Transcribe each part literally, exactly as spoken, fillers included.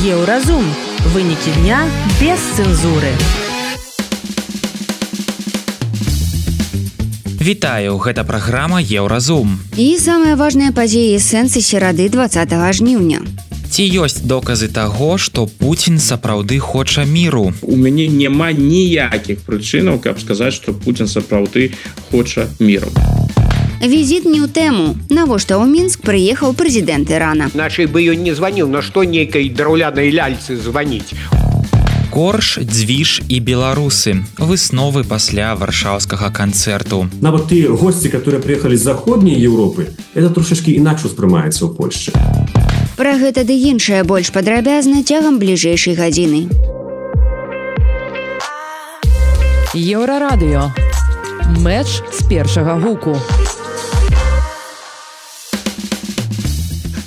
Еўразум. Вынікі дня без цэнзуры. Вітаю, гэта праграма Еўразум. І самыя важныя падзеі сэнсы серады дваццатага жніўня. Ці ёсць доказы таго, што Пуцін сапраўды хоча міру? У мяне няма ніякіх прычынаў, каб сказаць, што Пуцін сапраўды хоча міру. Візіт не ў тэму. Навошта ў Мінск прыехаў прэзідэнт Ірана? Нашай бы ён не званіў, на што нейкай драўлянай ляльцы званіць. Корж, дзвіж і беларусы. Высновы пасля варшаўскага канцэрту. Нават тыя госці, которые прыехалі з заходняй Еўропы, это трошачкі інакш успрымаецца ў Польшчы. Пра гэта ды іншае больш падрабязна цягам бліжэйшай гадзіны. Еўрарадыё. Мэч з першага гуку.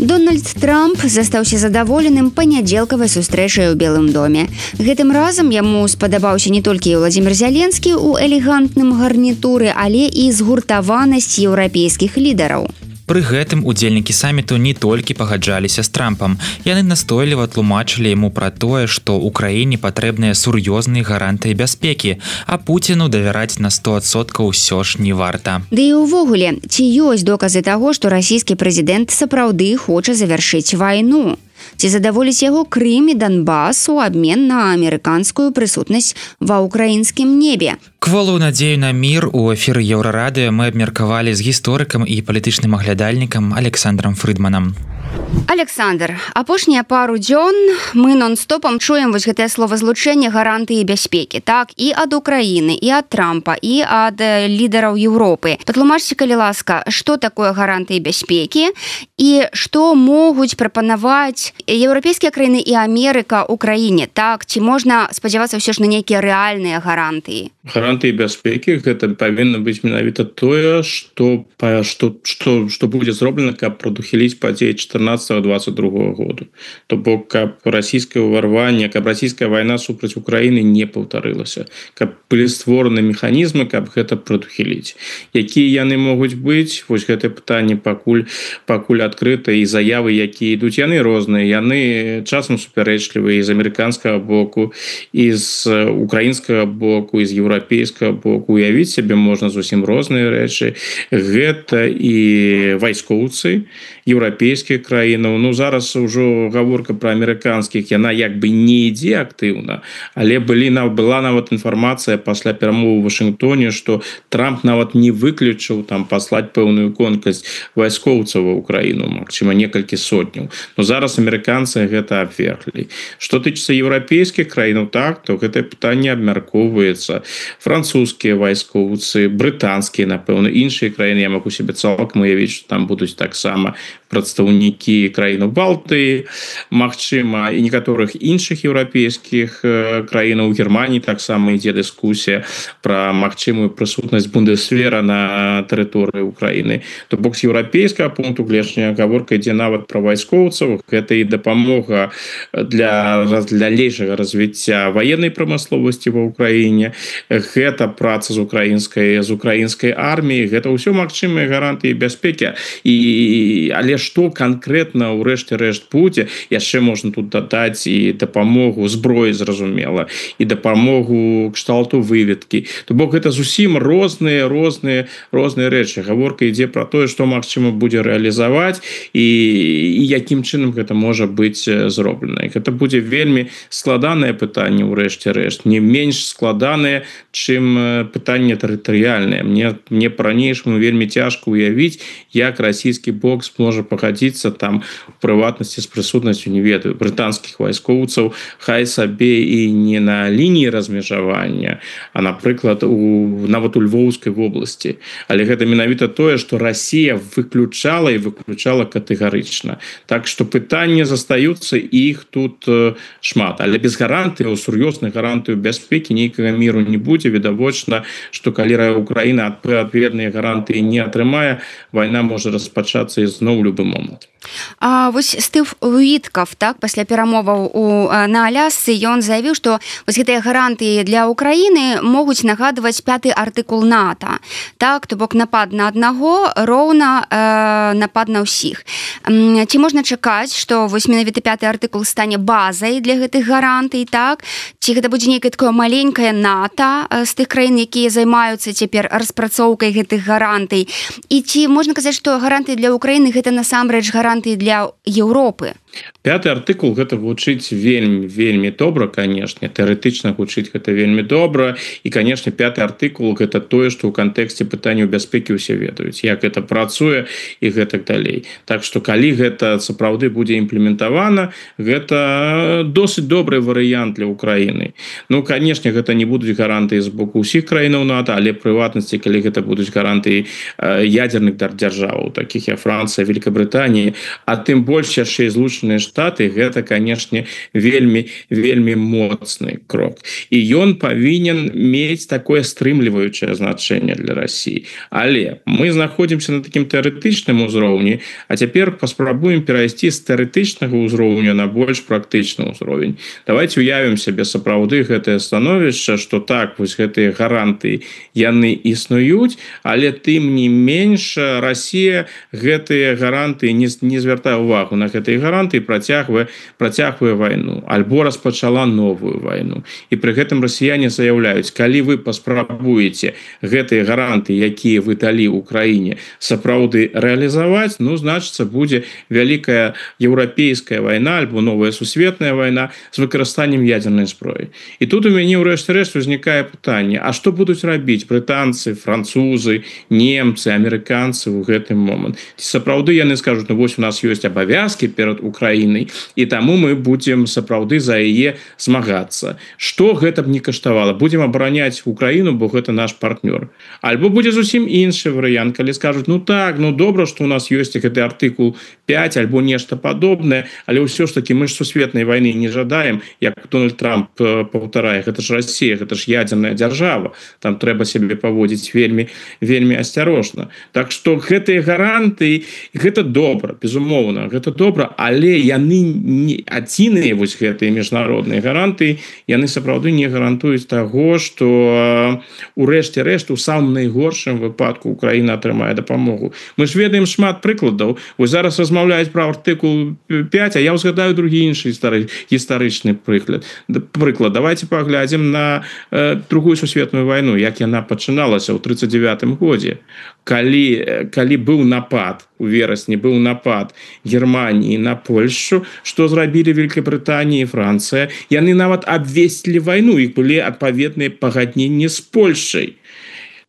Дональд Трамп застаўся задаволеным панядзелкавай сустрэчай у Белым доме. Гэтым разам яму спадабаўся не толькі Владзімір Зяленскі ў элегантным гарнітуры, але і згуртаванасць еўрапейскіх лідараў. Пры гэтым удзельнікі саміту не толькі пагаджаліся з Трампам. Яны настойліва тлумачылі яму пра тое, што ўкраіне патрэбныя сур'ёзныя гарантыі бяспекі, а Пуціну давяраць на сто адсоткаў усё ж не варта. Ды і ўвогуле, ці ёсць доказы таго, што расійскі прэзідэнт сапраўды хоча завяршыць вайну? Ці задаволіць яго Крым і Донбас у абмен на амерыканскую прысутнасць ва ўкраінскім небе? Кволую надзею на мір у эфіры Еўрарадыё мы абмеркавалі з гісторыкам і палітычным аглядальнікам Александром Фрыдманам. Александр, апошнія пару дзён мы нон-стопам чуем вось гэтае словазлучэнне гарантыі бяспекі, так, і ад Украіны, і ад Трампа, і ад лідараў Еўропы. Патлумачце, калі ласка, што такое гарантыі бяспекі і што могуць прапанаваць еўрапейскія краіны і Амерыка Украіне, так, ці можна спадзявацца ўсё ж на нейкія рэальныя гарантыі? Гарантыі бяспекі гэта павінна быць менавіта тое, што што што што будзе зроблена, каб прадухіліць падзеі чатырнаццатага дваццаць другога году. То бок каб расійскае ўварванне, каб расійская вайна супраць Украіны не паўтарылася, каб былі створаны механізмы, каб гэта прадухіліць. Якія яны могуць быць? Вось гэтае пытанне пакуль пакуль адкрыта, і заявы, якія ідуць, яны розныя, яны часам супярэчлівыя з амерыканскага боку, і з украінскага боку, і з еўрапейскага боку. Уявіць сябе можна зусім розныя рэчы. Гэта і вайскоўцы еўрапейскіх краінаў. Ну, зараз ужо гаворка пра амерыканскіх, яна як бы не ідзе актыўна, але былі, была нават інфармацыя пасля перамовы ў Вашынгтоне, што Трамп нават не выключыў там паслаць пэўную колькасць вайскоўцаў ва Украіну, магчыма, некалькі сотняў. Но зараз амерыканцы гэта абверглі. Што тычыцца еўрапейскіх краінаў, так, то гэтае пытанне абмяркоўваецца. Французскія вайскоўцы, брытанскія, напэўна, іншыя краіны, я магу себе цалкам уявіць, што там будуць таксама прадстаўнікі краінаў Балтыі, магчыма, і некаторых іншых еўрапейскіх краінаў. У Германіі таксама ідзе дыскусія пра магчымую прысутнасць бундесвера на тэрыторыі Украіны. То бок з еўрапейскага пункту гледжання гаворка ідзе нават пра вайскоўцаў. Гэта і дапамога для далейшага развіцця ваеннай прамысловасці ва Украіне. Гэта праца з украінскай з украінскай арміяй. Гэта ўсё магчымыя гарантыі бяспекі. І але што канкрэтна ўрэшце рэшт будзе, яшчэ можна тут дадаць і дапамогу зброі, зразумела, і дапамогу кшталту выведкі. То бок гэта зусім розныя розныя розныя рэчы. Гаворка ідзе пра тое, што магчыма будзе рэалізаваць і, і якім чынам гэта можа быць зроблена. Гэта будзе вельмі складанае пытанне ўрэшце рэшт, не менш складанае, чым пытанне тэрытарыяльнае. Мне мне па-ранейшаму вельмі цяжка уявіць, як расійскі бок зможа пагадзіцца там у прыватнасці з прысутнасцю, не ведаю, брытанскіх вайскоўцаў, хай сабе і не на лініі размежавання, а, напрыклад, у нават у Львоўскай вобласці. Але гэта менавіта тое, што Расія выключала і выключала катэгарычна. Так што пытанні застаюцца, іх тут шмат. Але без гарантыяў, сур'ёзных гарантыяў бяспекі нейкага міру не будзе. Відавочна, што калі Украіна адпаведныя гарантыі не атрымае, вайна можа распачацца ізноў у любы момант. А вось Стыв Уітков, так, пасля перамоваў у на Алясцы ён заявіў, што вось гэтыя гарантыі для Украіны могуць нагадваць пяты артыкул НАТО. Так, то бок напад на аднаго роўна э, напад на ўсіх. Ці можна чакаць, што вось менавіта пяты артыкул стане базай для гэтых гарантый, так? Ці гэта будзе нейкае такое маленькае НАТО з тых краін, якія займаюцца цяпер распрацоўкай гэтых гарантый? І ці можна казаць, што гарантыі для Украіны гэта насамрэч гарантыі для Еўропы? Пяты артыкул гэта гучыць вельмі вельмі добра, канешне, тэарэтычна гучыць гэта вельмі добра, і канешне пяты артыкул гэта тое, што ў кантэксце пытанняў бяспекі ўсе ведаюць, як гэта працуе і гэтак далей. Так што калі гэта сапраўды будзе імплементавана, гэта досыць добры варыянт для Украіны. Ну, канешне, гэта не будуць гарантыі з боку ўсіх краінаў НАТО, але прыватнасці, калі гэта будуць гарантыі ядзерных дзяржаваў, такіх як Францыя, Великабрытанія, а тым больш яшчэ і Злучаныя Штаты, гэта, канешне, вельмі вельмі моцны крок. І ён павінен мець такое стрымліваючае значэнне для России. Але мы знаходзімся на такім тэарэтычным узроўні, а цяпер паспрабуем перайсці з тэарэтычнага ўзроўня на больш практычны ўзровень. Давайте уявім сябе сапраўды гэтае становішча, што так, вось гэтыя гарантыі яны існуюць, але тым не менш Россия гэтыя гарантыі не, не звяртае ўвагу на гэтыя гарантыі, працягвае працягвае вайну альбо распачала новую вайну. І пры гэтым расіяне заяўляюць, калі вы паспрабуеце гэтыя гарантыі, якія вы далі Украіне, сапраўды рэалізаваць, ну, значыцца, будзе вялікая еўрапейская вайна альбо новая сусветная вайна з выкарыстаннем ядзернай зброі. І тут у мяне ўрэшце рэшт узнікае пытанне, а што будуць рабіць брытанцы, французы, немцы, амерыканцы ў гэтым момант? Ці сапраўды яны скажуць, ну, вось у нас ёсць абавязкі перад Украінай, і таму мы будзем сапраўды за яе змагацца. Што гэта б не каштавала? Будзем абараняць Украіну, бо гэта наш партнёр. Альбо будзе зусім іншы варыянт, калі скажуць, ну так, ну добра, што у нас ёсць гэты артыкул пяць альбо нешта падобнае, але ўсё ж такі мы ж сусветнай вайны не жадаем, як Дональд Трамп паўтарае, гэта ж Россия, гэта ж ядзерная дзяржава, там трэба сябе паводзіць вельмі вельмі асцярожна. Так што гэтыя гарантыі, гэта добра, безумоўна, гэта добра, але яны не адзіныя, вось гэтыя міжнародныя гарантыі, яны сапраўды не гарантуюць таго, што у рэшце рэшт у самым найгоршым выпадку Украіна атрымае дапамогу. Мы ж ведаем шмат прыкладаў. Вось зараз размаўляюць пра артыкул пяць, а я ўзгадаю другі іншы гістарычны прыклад. Прыклад, давайте паглядзім на э, другую сусветную вайну, як яна пачыналася ў тридцать девятым годзе. Калі, калі быў напад, у верасні быў напад Германії на Польшу, што зрабілі Великабрытанія і Францыя, яны нават абвесцілі вайну, іх былі адпаведныя пагадненні з Польшай.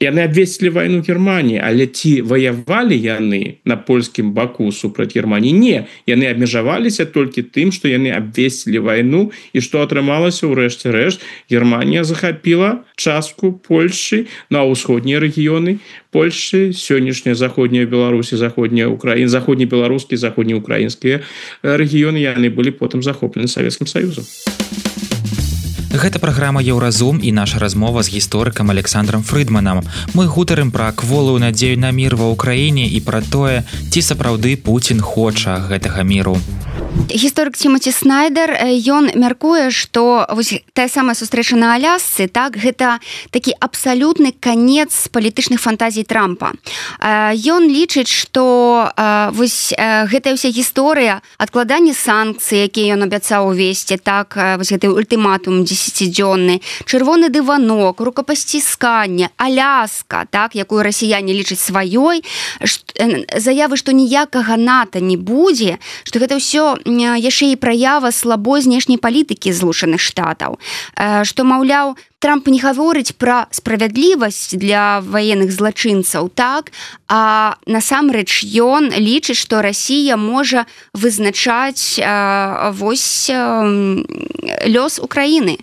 Яны абвесцілі вайну Германії, але ці ваявалі яны на польскім баку супраць Германії? Не, яны абмежаваліся толькі тым, што яны абвесцілі вайну, і што атрымалася ў рэшце рэшт, Германія захапіла частку Польшы на ўсходнія рэгіёны Польшы, сённяшняя заходняя Беларусі, заходняя Украіна, заходнебеларускія, заходнеукраінскія рэгіёны, яны былі потым захоплены Савецкім Саюзам. Гэта праграма Еўразум і наша размова з гісторыкам Александром Фрыдманам. Мы гутарым пра кволую надзею на мір ва ўкраіне і пра тое, ці сапраўды Пуцін хоча гэтага міру. Гісторык Тимоті Снайдер, ён мяркуе, што вось тая самая сустрэча на Алясцы, так, гэта такі абсалютны канец палітычных фантазій Трампа. Ён лічыць, што вось гэтая ўся гісторыя адкладання санкцый, якія ён абяцаў увесці, так, вось гэты ультыматум дзесяцідзённы, чырвоны дыванок, рукапасцісканне, Аляска, так, якую расіяне лічаць сваёй, заявы, што ніякага НАТО не будзе, што гэта ўсё яшчэ і праява слабой знешняй палітыкі Злучаных Штатаў, што, маўляў, Трамп не гаворыць пра справядлівасць для ваенных злачынцаў, так, а насамрэч ён лічыць, што Расія можа вызначаць вось лёс Украіны.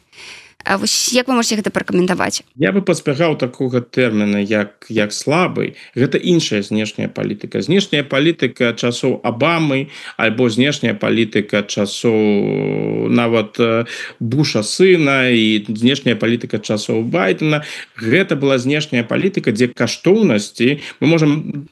Вось як вы можете гэта пракаментаваць? Я бы паспягаў такога тэрміна як як слабы. Гэта іншая знешняя палітыка. Знешняя палітыка часоў Абамы альбо знешняя палітыка часоў нават Буша сына і знешняя палітыка часоў Байдена. Гэта была знешняя палітыка, дзе каштоўнасці, мы можам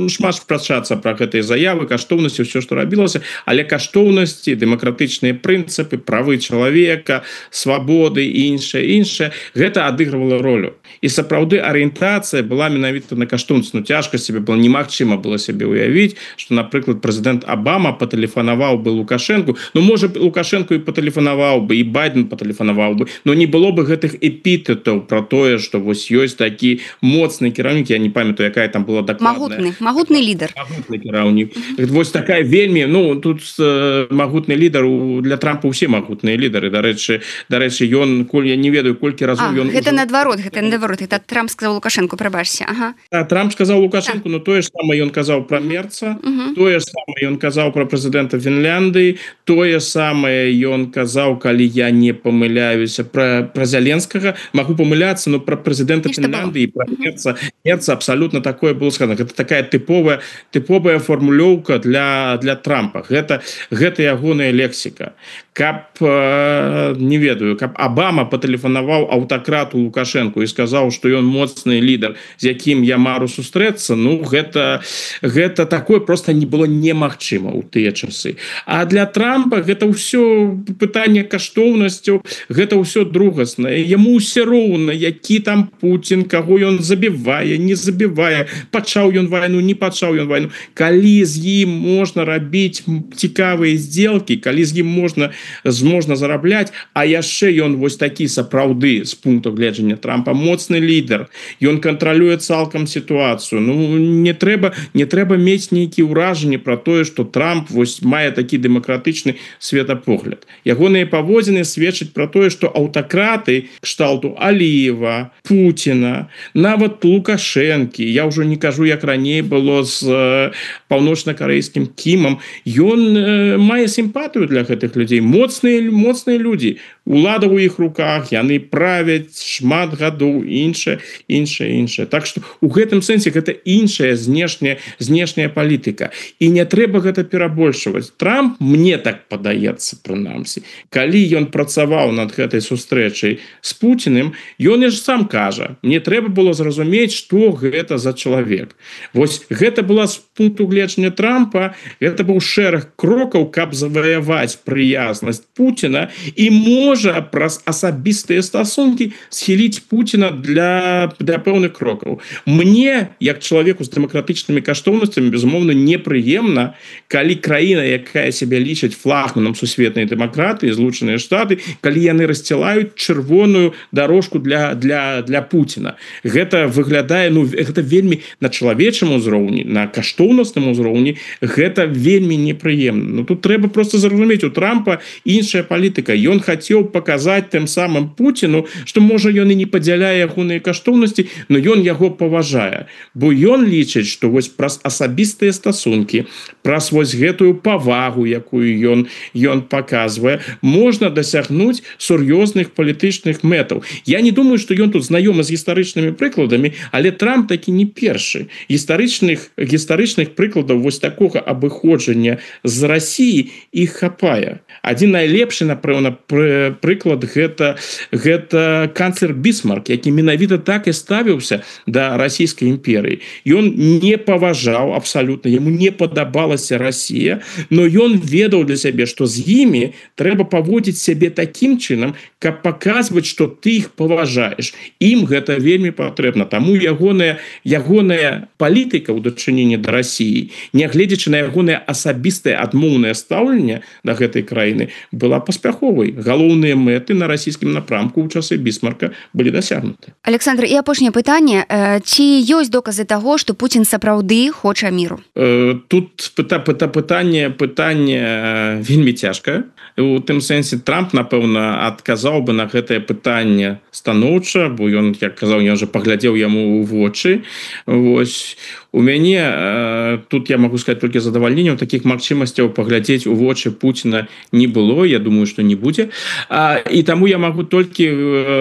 шмат спрачацца пра гэтыя заявы, каштоўнасці, ўсё, што рабілася, але каштоўнасці, дэмакратычныя прынцыпы, правы чалавека, свабоды і іншае, іншае, гэта адыгрывала ролю. І сапраўды арыентацыя была менавіта на каштоўнасць. Ну, цяжка сябе было, немагчыма было сябе ўявіць, што, напрыклад, прэзідэнт Абама патэлефанаваў бы Лукашэнку, ну, можа, Лукашэнку і патэлефанаваў бы, і Байден патэлефанаваў бы, но не было бы гэтых эпітэтаў пра тое, што вось ёсць такі моцны кіраўнік, я не памятаю, якая там была дакладная. Магутны, магутны лідар. Магутны кіраўнік. Вось такая вельмі, ну, тут э, магутны лідар, для Трампа ўсе магутныя лідары, дарэчы, дарэчы, ён, коль я не ведаю, колькі разоў ён... Гэта наадварот, гэта наадварот, гэта Трамп сказаў Лукашэнку, прабачце, ага. А, Трамп сказаў Лукашэнку, но тое ж самае ён казаў пра Мерца, тое ж самае ён казаў пра прэзідэнта Фінляндыі, тое самае ён казаў, калі я не памыляюся, пра, пра Зяленскага, магу памыляцца, но пра прэзідэнта Фінляндыі, пра Мерца, Мерца абсалютна такое было сказано. Гэта такая тыповая, тыповая формулёўка для, для Трампа. Гэта, гэта ягоная лексіка. Каб, э, не ведаю, каб Абама патэлефанаваў аўтакрату Лукашэнку і сказаў, што ён моцны лідар, з якім я мару сустрэцца, ну, гэта, гэта такое просто не было немагчыма ў тыя часы. А для Трампа гэта ўсё пытанне каштоўнасцяў, гэта ўсё другаснае. Яму ўсё роўна, які там Путін, каго ён забівае, не забівае, пачаў ён вайну, не пачаў ён вайну. Калі з ім можна рабіць цікавыя здзелкі, калі з ім можна можна зарабляць, а яшчэ ён вось такі сапраўды з пункту гледжання Трампа моцны лідар, ён кантралюе цалкам сітуацыю. Ну, не трэба, не трэба мець нейкія ўражанні пра тое, што Трамп вось мае такі дэмакратычны светапогляд. Ягоныя паводзіны сведчаць пра тое, што аўтакраты кшталту Аліева, Пуціна, нават Лукашэнкі, я ўжо не кажу, як раней было з э, паўночна-карэйскім Кімам, ён э, мае сімпатыю для гэтых людзей. Моцныя, моцныя людзі, улада ў іх руках, яны правяць шмат гадоў, іншае, іншае, іншае. Так што у гэтым сэнсе гэта іншая знешняя, знешняя палітыка. І не трэба гэта перабольшваць. Трамп, мне так падаецца, прынамсі, калі ён працаваў над гэтай сустрэчай з Пуціным, ён ж сам кажа, мне трэба было зразумець, што гэта за чалавек. Вось гэта была з пункту гледжання Трампа, гэта быў шэраг крокаў, каб заваяваць прыязнасць Пуціна і можа праз асабістыя стасункі схіліць Пуціна для, для пэўных крокаў. Мне, як чалавеку з дэмакратычнымі каштоўнасцямі, безумоўна, непрыемна, калі краіна, якая сябе лічыць флагманам сусветнай дэмакратыі, Злучаныя Штаты, калі яны расцілаюць чырвоную дарожку для, для, для Пуціна. Гэта выглядае, ну, гэта вельмі на чалавечым узроўні, на каштоўнасным узроўні, гэта вельмі непрыемна. Ну, тут трэба просто зразумець, у Трампа іншая палітыка. Ён хацеў паказаць тым самым Пуціну, што, можа, ён і не падзяляе ягоныя каштоўнасці, но ён яго паважае. Бо ён лічыць, што вось праз асабістыя стасункі, праз вось гэтую павагу, якую ён, ён паказвае, можна дасягнуць сур'ёзных палітычных мэтаў. Я не думаю, што ён тут знаёмы з гістарычнымі прыкладамі, але Трамп такі не першы. Гістарычных, гістарычных прыкладаў вось такога абыходжання з Расіі іх хапае. Адзін найлепшы, напэўна, пры, прыклад гэта, гэта канцлер Бісмарк, які менавіта так і ставіўся да расійскай імперыі. Ён не паважаў абсалютна, яму не падабалася Расія, но ён ведаў для сябе, што з імі трэба паводзіць сябе такім чынам, каб паказваць, што ты іх паважаеш. Ім гэта вельмі патрэбна. Таму ягоная, ягоная палітыка ў дачыненні да Расіі, нягледзячы на ягонае асабістае адмоўнае стаўленне да гэтай краіны, была паспяховай. Галоўныя мэты на расійскім напрамку ў часы Бісмарка былі дасягнуты. Александр, і апошняе пытанне. Ці ёсць доказы таго, што Пуцін сапраўды хоча міру? Тут пыта, пыта, пытанне, пытанне вельмі цяжкае. У тым сэнсе Трамп, напэўна, адказаў бы на гэтае пытанне станоўча, бо ён, як казаў, ён жа паглядзеў яму ў вочы. Вось. У мяне, тут я могу сказаць толькі задавальненнем, такіх магчымасцяў паглядзець у вочы Пуціна не было, я думаю, што не будзе. і таму я магу толькі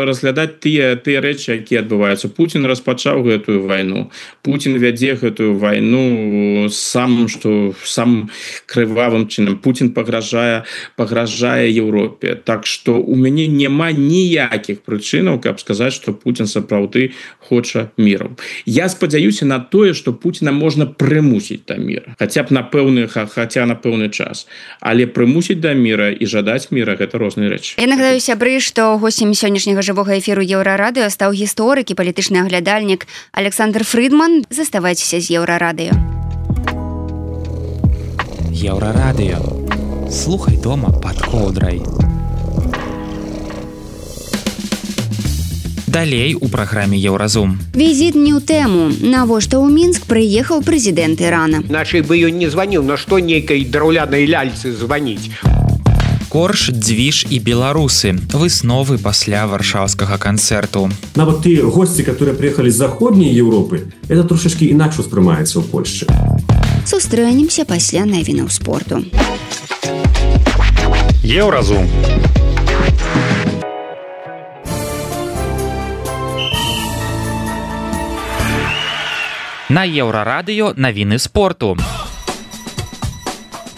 разглядаць тыя тыя рэчы, якія адбываюцца. Путін распачаў гэтую вайну. Путін вядзе гэтую вайну самым што самым крывавым чынам. Путін пагражае пагражае Еўропе. Так што у мяне няма ніякіх прычынаў, каб сказаць, што Путін сапраўды хоча міру. Я спадзяюся на тое, што Пуціна можна прымусіць да міра, хаця б на пэўны хаця на пэўны час, але прымусіць да міра і жадаць міра гэта розныя рэчы. Я нагадаю сябры, што госцем сённяшняга жывога эфіру Еўрарадыё стаў гісторык і палітычны аглядальнік Александр Фрыдман. Заставайцеся з Еўрарадыё. Еўрарадыё. Слухай дома пад коўдрай. Далей у праграме Еўразум. Візіт не ў тэму. Навошта ў Мінск прыехаў прэзідэнт Ірана? Иначе бы ён не званіў, на што нейкай драўлянай ляльцы званіць. Корж, дзвіж і беларусы. Высновы пасля варшаўскага канцэрту. Нават тыя госці, которые приехали з заходняй Европы, это трошечки іначе ўспрымаецца ў Польшчы. Сустрэнемся пасля навінаў спорту. Еўразум. На Еўрарадыё навіны спорту.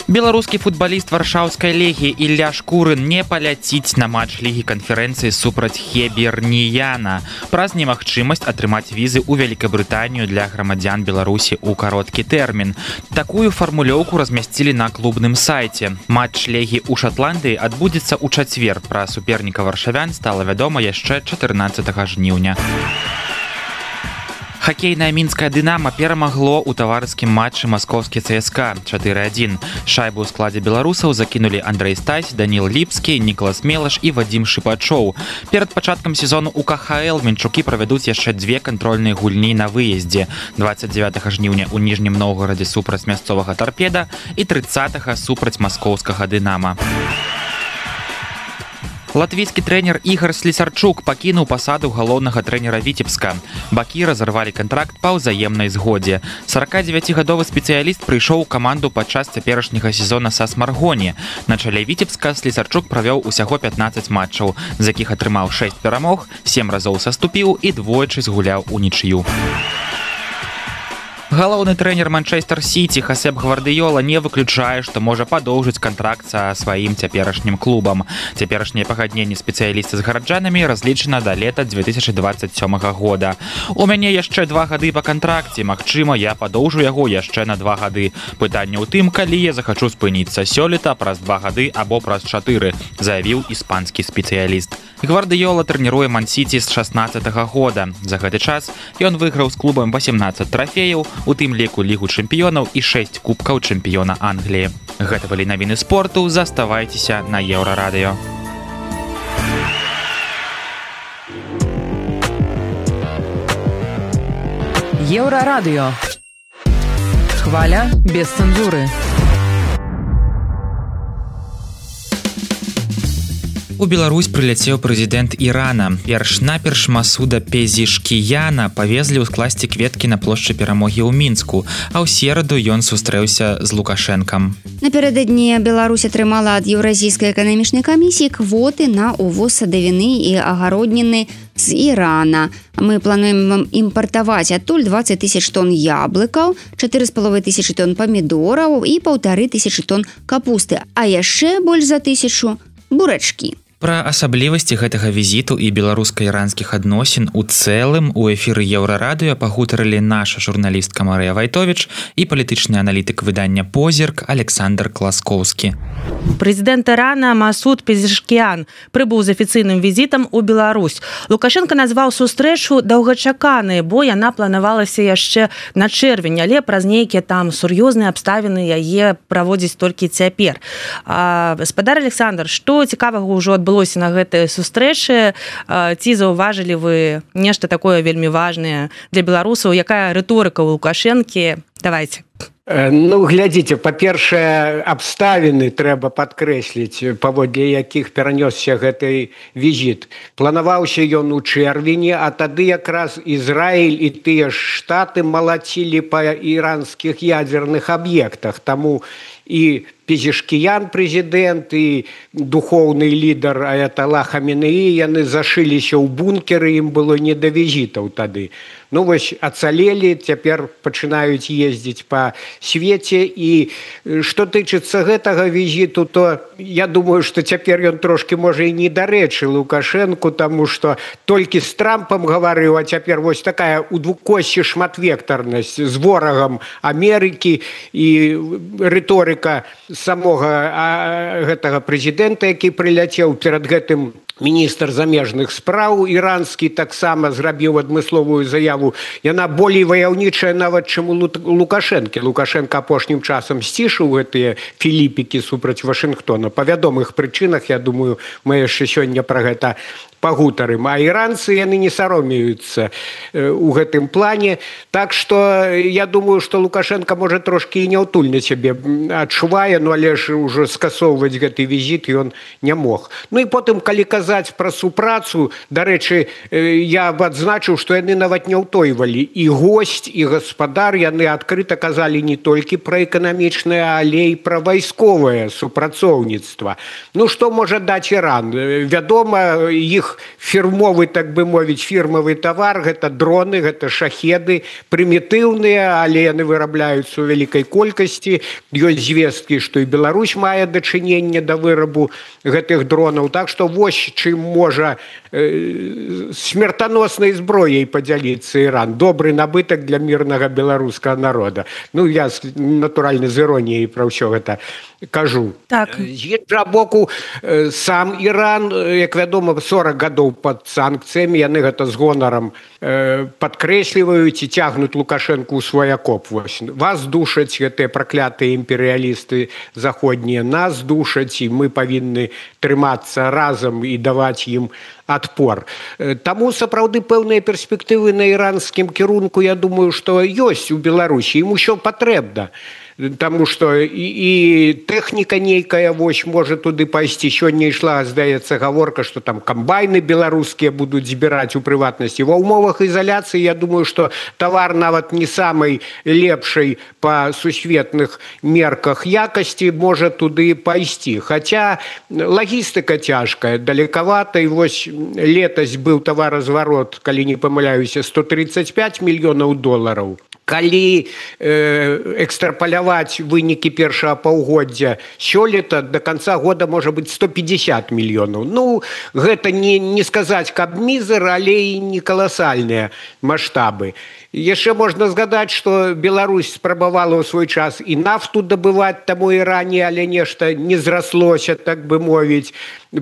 Беларускі футбаліст варшаўскай легі Ілля Шкурын не паляціць на матч лігі канферэнцыі супраць Хеберніяна праз немагчымасць атрымаць візы ў Вялікабрытанію для грамадзян Беларусі ў кароткі тэрмін. Такую фармулёўку размясцілі на клубным сайце. Матч легі ў Шатландыі адбудзецца ў чацвер. Пра суперніка варшавян стала вядома яшчэ чатырнаццатага жніўня. Хакейная мінская «Дынама» перамагло ў таварыскім матчы маскоўскі ЦСКА чатыры адзін. Шайбу ў складзе беларусаў закінулі Андрэй Стась, Даніл Ліпскі, Нікалас Мелаш і Вадзім Шыпачоў. Перад пачаткам сезону ў ка ха эл мінчукі правядуць яшчэ дзве кантрольныя гульні на выездзе. дваццаць дзевятага жніўня ў Ніжнім Новгарадзе супраць мясцовага «Тарпеда» і трыццатага супраць маскоўскага «Дынама». Латвійскі трэнер Ігар Слесарчук пакінуў пасаду галоўнага трэнера Віцебска. Бакі разарвалі кантракт па ўзаемнай згодзе. саракадзевяцігадовы спецыяліст прыйшоў у каманду падчас цяперашняга сезона са Смаргоні. На чале Віцебска Слесарчук правёў усяго пятнаццаць матчаў, з якіх атрымаў шэсць перамог, сем разоў саступіў і двойчы згуляў унічыю. Галоўны трэнер Манчестер Сіці Хасеп Гвардыёла не выключае, што можа падоўжыць кантракт са сваім цяперашнім клубам. Цяперашняе пагадненне спецыяліста з гараджанамі разлічана да лета дзве тысячы дваццаць сёмага года. У мяне яшчэ два гады па кантракце, магчыма, я падоўжу яго яшчэ на два гады. Пытанне ў тым, калі я захачу спыніцца сёлета праз два гады або праз чатыры, заявіў іспанскі спецыяліст. Гвардыёла трэніруе Ман-Сіці з шаснаццатага года. За гэты час ён выйграў з клубам васемнаццаць трафеяў, у тым ліку лігу чэмпіёнаў і шэсць кубкаў чэмпіёна Англіі. Гэта былі навіны спорту, заставайцеся на Еўрарадыё. Еўрарадыё. Хваля без цэнзуры. У Беларусь прыляцеў прэзідэнт Ірана. Перш-наперш Масуда Пезішкіяна павезлі ў скласці кветкі на плошчы Перамогі ў Мінску, а ў сераду ён сустрэўся з Лукашэнкам. Напярэдадні Беларусь атрымала ад Еўразійскай эканамічнай камісіі квоты на увоз садавіны і агародніны з Ірана. Мы плануем імпартаваць адтуль дваццаць тысяч тонн яблыкаў, чатыры з паловай тысячы тонн памідораў і паўтары тысячы тонн капусты, а яшчэ больш за тысячу бурачкі. Пра асаблівасці гэтага візіту і беларуска-іранскіх адносін у цэлым у эфіры Еўрарадыё пагутарылі наша журналістка Марыя Вайтовіч і палітычны аналітык выдання «Позірк» Александр Класкоўскі. Прэзідэнт Ірана Масуд Пезішкіян прыбыў з афіцыйным візітам у Беларусь. Лукашенко назваў сустрэчу даўгачаканай, бо яна планавалася яшчэ на чэрвень, але праз нейкія там сур'ёзныя абставіны яе праводзіць толькі цяпер. А, гаспадар Александр, што цікавага ўжо адбылося на гэтай сустрэчы? Ці заўважылі вы нешта такое вельмі важнае для беларусаў? Якая рыторыка ў Лукашэнкі? Давайте. Ну, глядзіце, па-першае, абставіны трэба падкрэсліць, паводле якіх перанёсся гэты візіт. Планаваўся ён у чэрвені, а тады якраз Ізраіль і тыя ж штаты малацілі па іранскіх ядзерных аб'ектах. Таму і Пезешкіян прэзідэнт і духоўны лідар Аяталла Хаменеі, яны зашыліся ў бункеры, ім было не да візітаў тады. Ну вось ацалелі, цяпер пачынаюць ездзіць па свеце, і што тычыцца гэтага візіту, то я думаю, што цяпер ён трошки можа і недарэчы Лукашэнку, таму што толькі з Трампам гаварыў, а цяпер вось такая у двукосці шматвектарнасць з ворагам Амерыкі і рыторыка самога гэтага прэзідэнта, які прыляцеў перад гэтым. Міністр замежных спраў іранскі таксама зрабіў адмысловую заяву. Яна болей ваяўнічая нават, чым у Лукашэнкі. Лукашенко апошнім часам сцішыў гэтыя філіпікі супраць Вашынгтона. Па вядомых прычынах, я думаю, мы яшчэ сёння пра гэта пагутарым. А іранцы, яны не саромеюцца ў гэтым плане. Так што я думаю, што Лукашенко можа трошкі і няўтульна сябе адчувае, ну але ж ужо скасоўваць гэты візіт ён не мог. Ну і потым, калі казаць пра супрацу, дарэчы, я б адзначыў, што яны нават не ўтойвалі. І госць, і гаспадар, яны адкрыта казалі не толькі пра эканамічнае, але і пра вайсковае супрацоўніцтва. Ну што можа даць Іран? Вядома, іх фірмовы, так бы мовіць, фірмавы тавар, гэта дроны, гэта шахеды, прымітыўныя, але яны вырабляюцца ў вялікай колькасці. Ёсць звесткі, што і Беларусь мае дачыненне да вырабу гэтых дронаў. Так што вось чым можа э, смертаноснай зброяй падзяліцца Іран. Добры набытак для мірнага беларускага народа. Ну, я, натуральна, з іроніяй пра ўсё гэта кажу. Так. З іншага боку, сам Іран, як вядома, сорок гадоў пад санкцыямі, яны гэта з гонарам э, падкрэсліваюць і цягнуць Лукашэнку ў свой акоп. Вось. Вас душаць гэтыя праклятыя імперыялісты заходнія, нас душаць, і мы павінны трымацца разам і даваць ім адпор. Таму сапраўды пэўныя перспектывы на іранскім кірунку, я думаю, што ёсць у Беларусі, ім усё патрэбна. Таму што і, і тэхніка нейкая вось можа туды пайсці. Сёння ішла, здаецца, гаворка, што там камбайны беларускія будуць збіраць у прыватнасці. Ва ўмовах ізаляцыі, я думаю, што тавар нават не самай лепшай па сусветных мерках якасці можа туды пайсці. Хаця лагістыка цяжкая, далекавата, і вось летась быў таваразварот, калі не памыляюся, сто тридцать пять мільёнаў долараў. Калі э, экстрапаляваць вынікі першага паўгоддзя сёлета, до конца года можа быць сто пятьдесят мільёнаў. Ну, гэта не, не сказаць, каб мізер, але і не каласальныя маштабы. Яшчэ можна згадаць, што Беларусь спрабавала ў свой час і нафту дабываць таму Іране, але нешта не зраслося, так бы мовіць.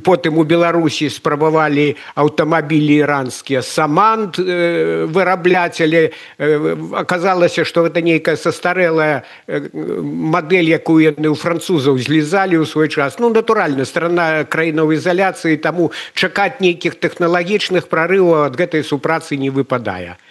Потым у Беларусі спрабавалі аўтамабілі іранскія Саманд э, вырабляць, але э, аказалася, што гэта нейкая састарэлая э, мадэль, якую яны ў французаў злізалі ў свой час. Ну, натуральна, страна краіна ў ізаляцыі, таму чакаць нейкіх тэхналагічных прарываў ад гэтай супрацы не выпадае.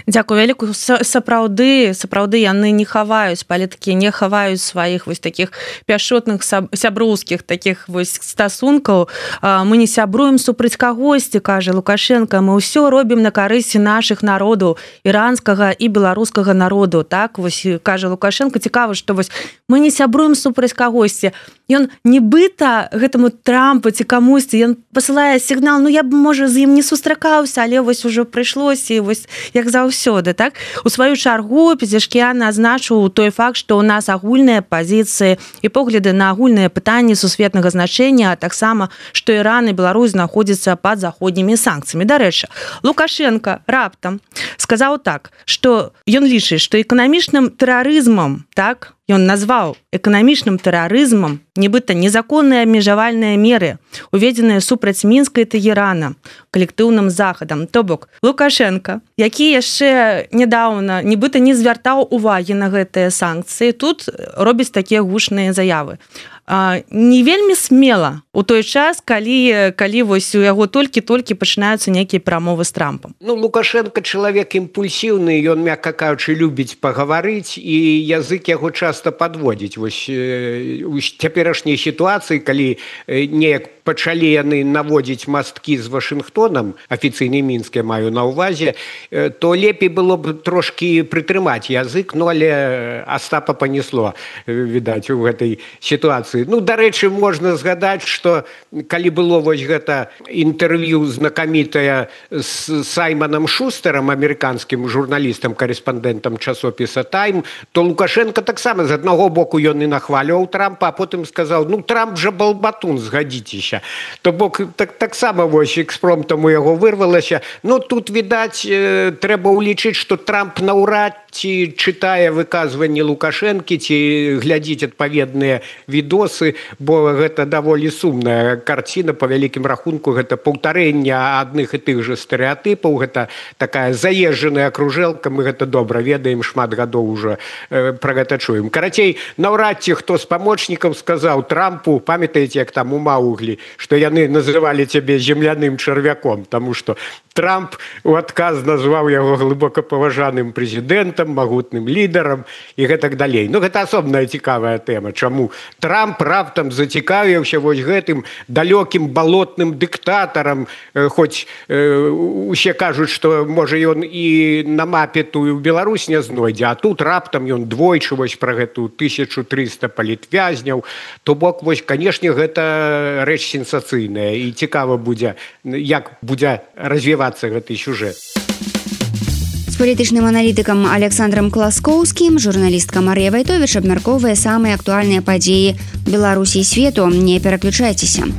Дзякую вялікую. Сапраўды, сапраўды яны не хаваюць, палітыкі не хаваюць сваіх вось такіх пяшотных сяброўскіх такіх вось стасункаў. Мы не сябруем супраць кагосьці, кажа Лукашенко, мы ўсё робім на карысці нашых народаў, іранскага і беларускага народу. Так, вось кажа Лукашенко. Цікава, што вось мы не сябруем супраць кагосьці. Ён нібыта гэтаму Трампу ці камусьці, ён пасылае сігнал, ну я б, можа, з ім не сустракаўся, але вось ужо прыйшлося, і вось як заўсёды, так? У сваю чаргу Пезешкіян азначыў той факт, што ў нас агульныя пазіцыі і погляды на агульныя пытанні сусветнага значэння, а таксама, што Іран і Беларусь знаходзяцца пад заходнімі санкцыямі. Дарэчы, Лукашенко раптам сказаў так, што ён лічыць, што эканамічным тэрарызмам, так, ён назваў эканамічным тэрарызмам нібыта незаконныя абмежавальныя меры, уведзеныя супраць Мінска і Тэгерана калектыўным захадам. То бок, Лукашенко, які яшчэ нядаўна нібыта не звяртаў увагі на гэтыя санкцыі, тут робіць такія гучныя заявы. не вельмі смела у той час, калі калі вось у яго толькі-толькі пачынаюцца нейкія перамовы з Трампам. Ну, Лукашенко чалавек імпульсіўны, ён, мякка кажучы, любіць пагаварыць, і язык яго часта падводзіць. Вось у цяперашняй сітуацыі, калі неяк пачалі яны наводзіць масткі з Вашынгтонам, афіцыйны Мінск я маю на ўвазе, то лепей было б трошкі прытрымаць язык, ну, але Остапа понесло, відаць, у гэтай сітуацыі. Ну, дарэчы, можна згадаць, што калі было вось гэта інтэрв'ю знакамітае з Саймонам Шустерам, амерыканскім журналістам, карэспандэнтам часопіса «Тайм», то Лукашенко таксама з аднаго боку ён і нахваліваў Трампа, а потым сказаў, ну, Трамп жа балбатун, згадзіцеся. То бок так, таксама вось экспромтам у яго вырвалася. Ну, тут, відаць, э, трэба ўлічыць, што Трамп наўрад ці чытае выказванні Лукашэнкі, ці глядзіць адпаведныя відосы, бо гэта даволі сумная карціна, па вялікім рахунку, гэта паўтарэнне адных і тых жа стэрэатыпаў, гэта такая заезджаная кружэлка, мы гэта добра ведаем, шмат гадоў ужо э, пра гэта чуем. Карацей, наўрад ці хто з памочнікаў сказаў Трампу, памятаеце, як там у Мауглі, што яны называлі цябе земляным чарвяком, таму што Трамп у адказ назваў яго глыбока паважаным прэзідэнтам, магутным лідарам і гэтак далей. Ну, гэта асобная цікавая тэма. Чаму Трамп раптам зацікавіўся вось гэтым далёкім балотным дыктатарам, хоць э, усе кажуць, што, можа, ён і на мапе тую Беларусь не знойдзе, а тут раптам ён двойчы вось пра гэту тысячу трыста палітвязняў. То бок, вось, канешне, гэта рэч сенсацыйная і цікава будзе, як будзе развівацца гэты сюжэт. З палітычным аналітыкам Александром Класкоўскім журналістка Марыя Вайтовіч абмяркоўвае самыя актуальныя падзеі Беларусі і свету. Не пераключайцеся.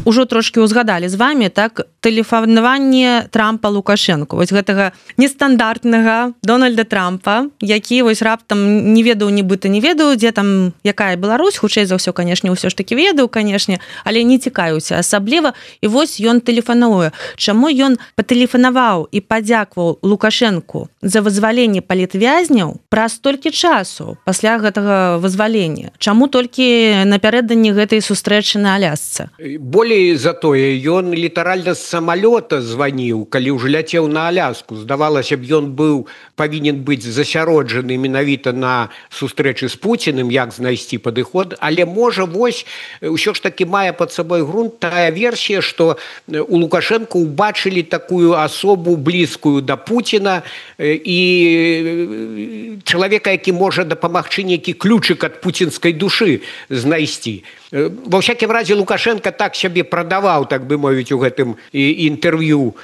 Ужо трошкі ўзгадалі з вами, так, тэлефанаванне Трампа Лукашэнку, вось гэтага нестандартнага Дональда Трампа, які вось раптам не ведаў, нібыта не ведаў, дзе там якая Беларусь, хутчэй за ўсё, канешне, ўсё ж такі ведаў, канешне, але не цікавіўся асабліва, і вось ён тэлефануе. Чаму ён патэлефанаваў і падзякваў Лукашэнку за вызваленне палітвязняў праз столькі часу пасля гэтага вызвалення? Чаму толькі напярэдадні гэтай сустрэчы на Алясцы? Болей за тое, ён літаральна з самалёта званіў, калі ўжо ляцеў на Аляску. Здавалася б, ён быў павінен быць засяроджаны менавіта на сустрэчы з Пуціным, як знайсці падыход, але можа вось ўсё ж такі мае пад сабой грунт тая версія, што у Лукашэнку ўбачылі такую асобу блізкую да Пуціна і чалавека, які можа дапамагчы нейкі ключык ад пуцінскай душы знайсці. Ва ўсякім разе Лукашенко так сябе прадаваў, так бы мовіць, у гэтым інтэрв'ю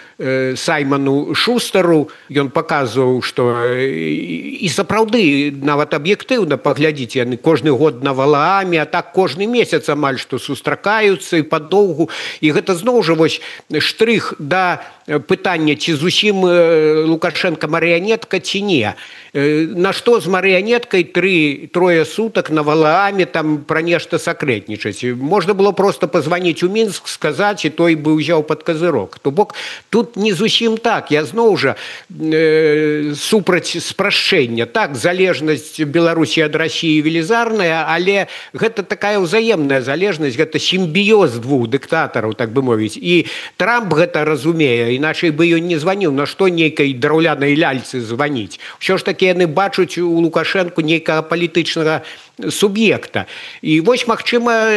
Саймону Шустеру. Ён паказваў, што і сапраўды нават аб'ектыўна паглядзіць, яны кожны год на Валааме, а так кожны месяц амаль што сустракаюцца і падоўгу. І гэта зноў жа вось штрых да пытання, ці зусім Лукашенко марыянетка ці не. На што з марыянеткай тры трое сутак на Валааме там пра нешта сакрэтнічаць? Можна было просто пазваніць у Мінск, сказаць, і той бы ўзяў пад казырок. То бок тут не зусім так. Я зноў жа э, супраць спрашчэння. Так, залежнасць Беларусі ад Расіі велізарная, але гэта такая ўзаемная залежнасць, гэта сімбіёз двух дыктатараў, так бы мовіць. І Трамп гэта разумее, іначай бы ён не званіў, на што нейкай драўлянай ляльцы званіць. Усё ж такі яны бачуць у Лукашэнку нейкага палітычнага суб'екта. І вось, магчыма,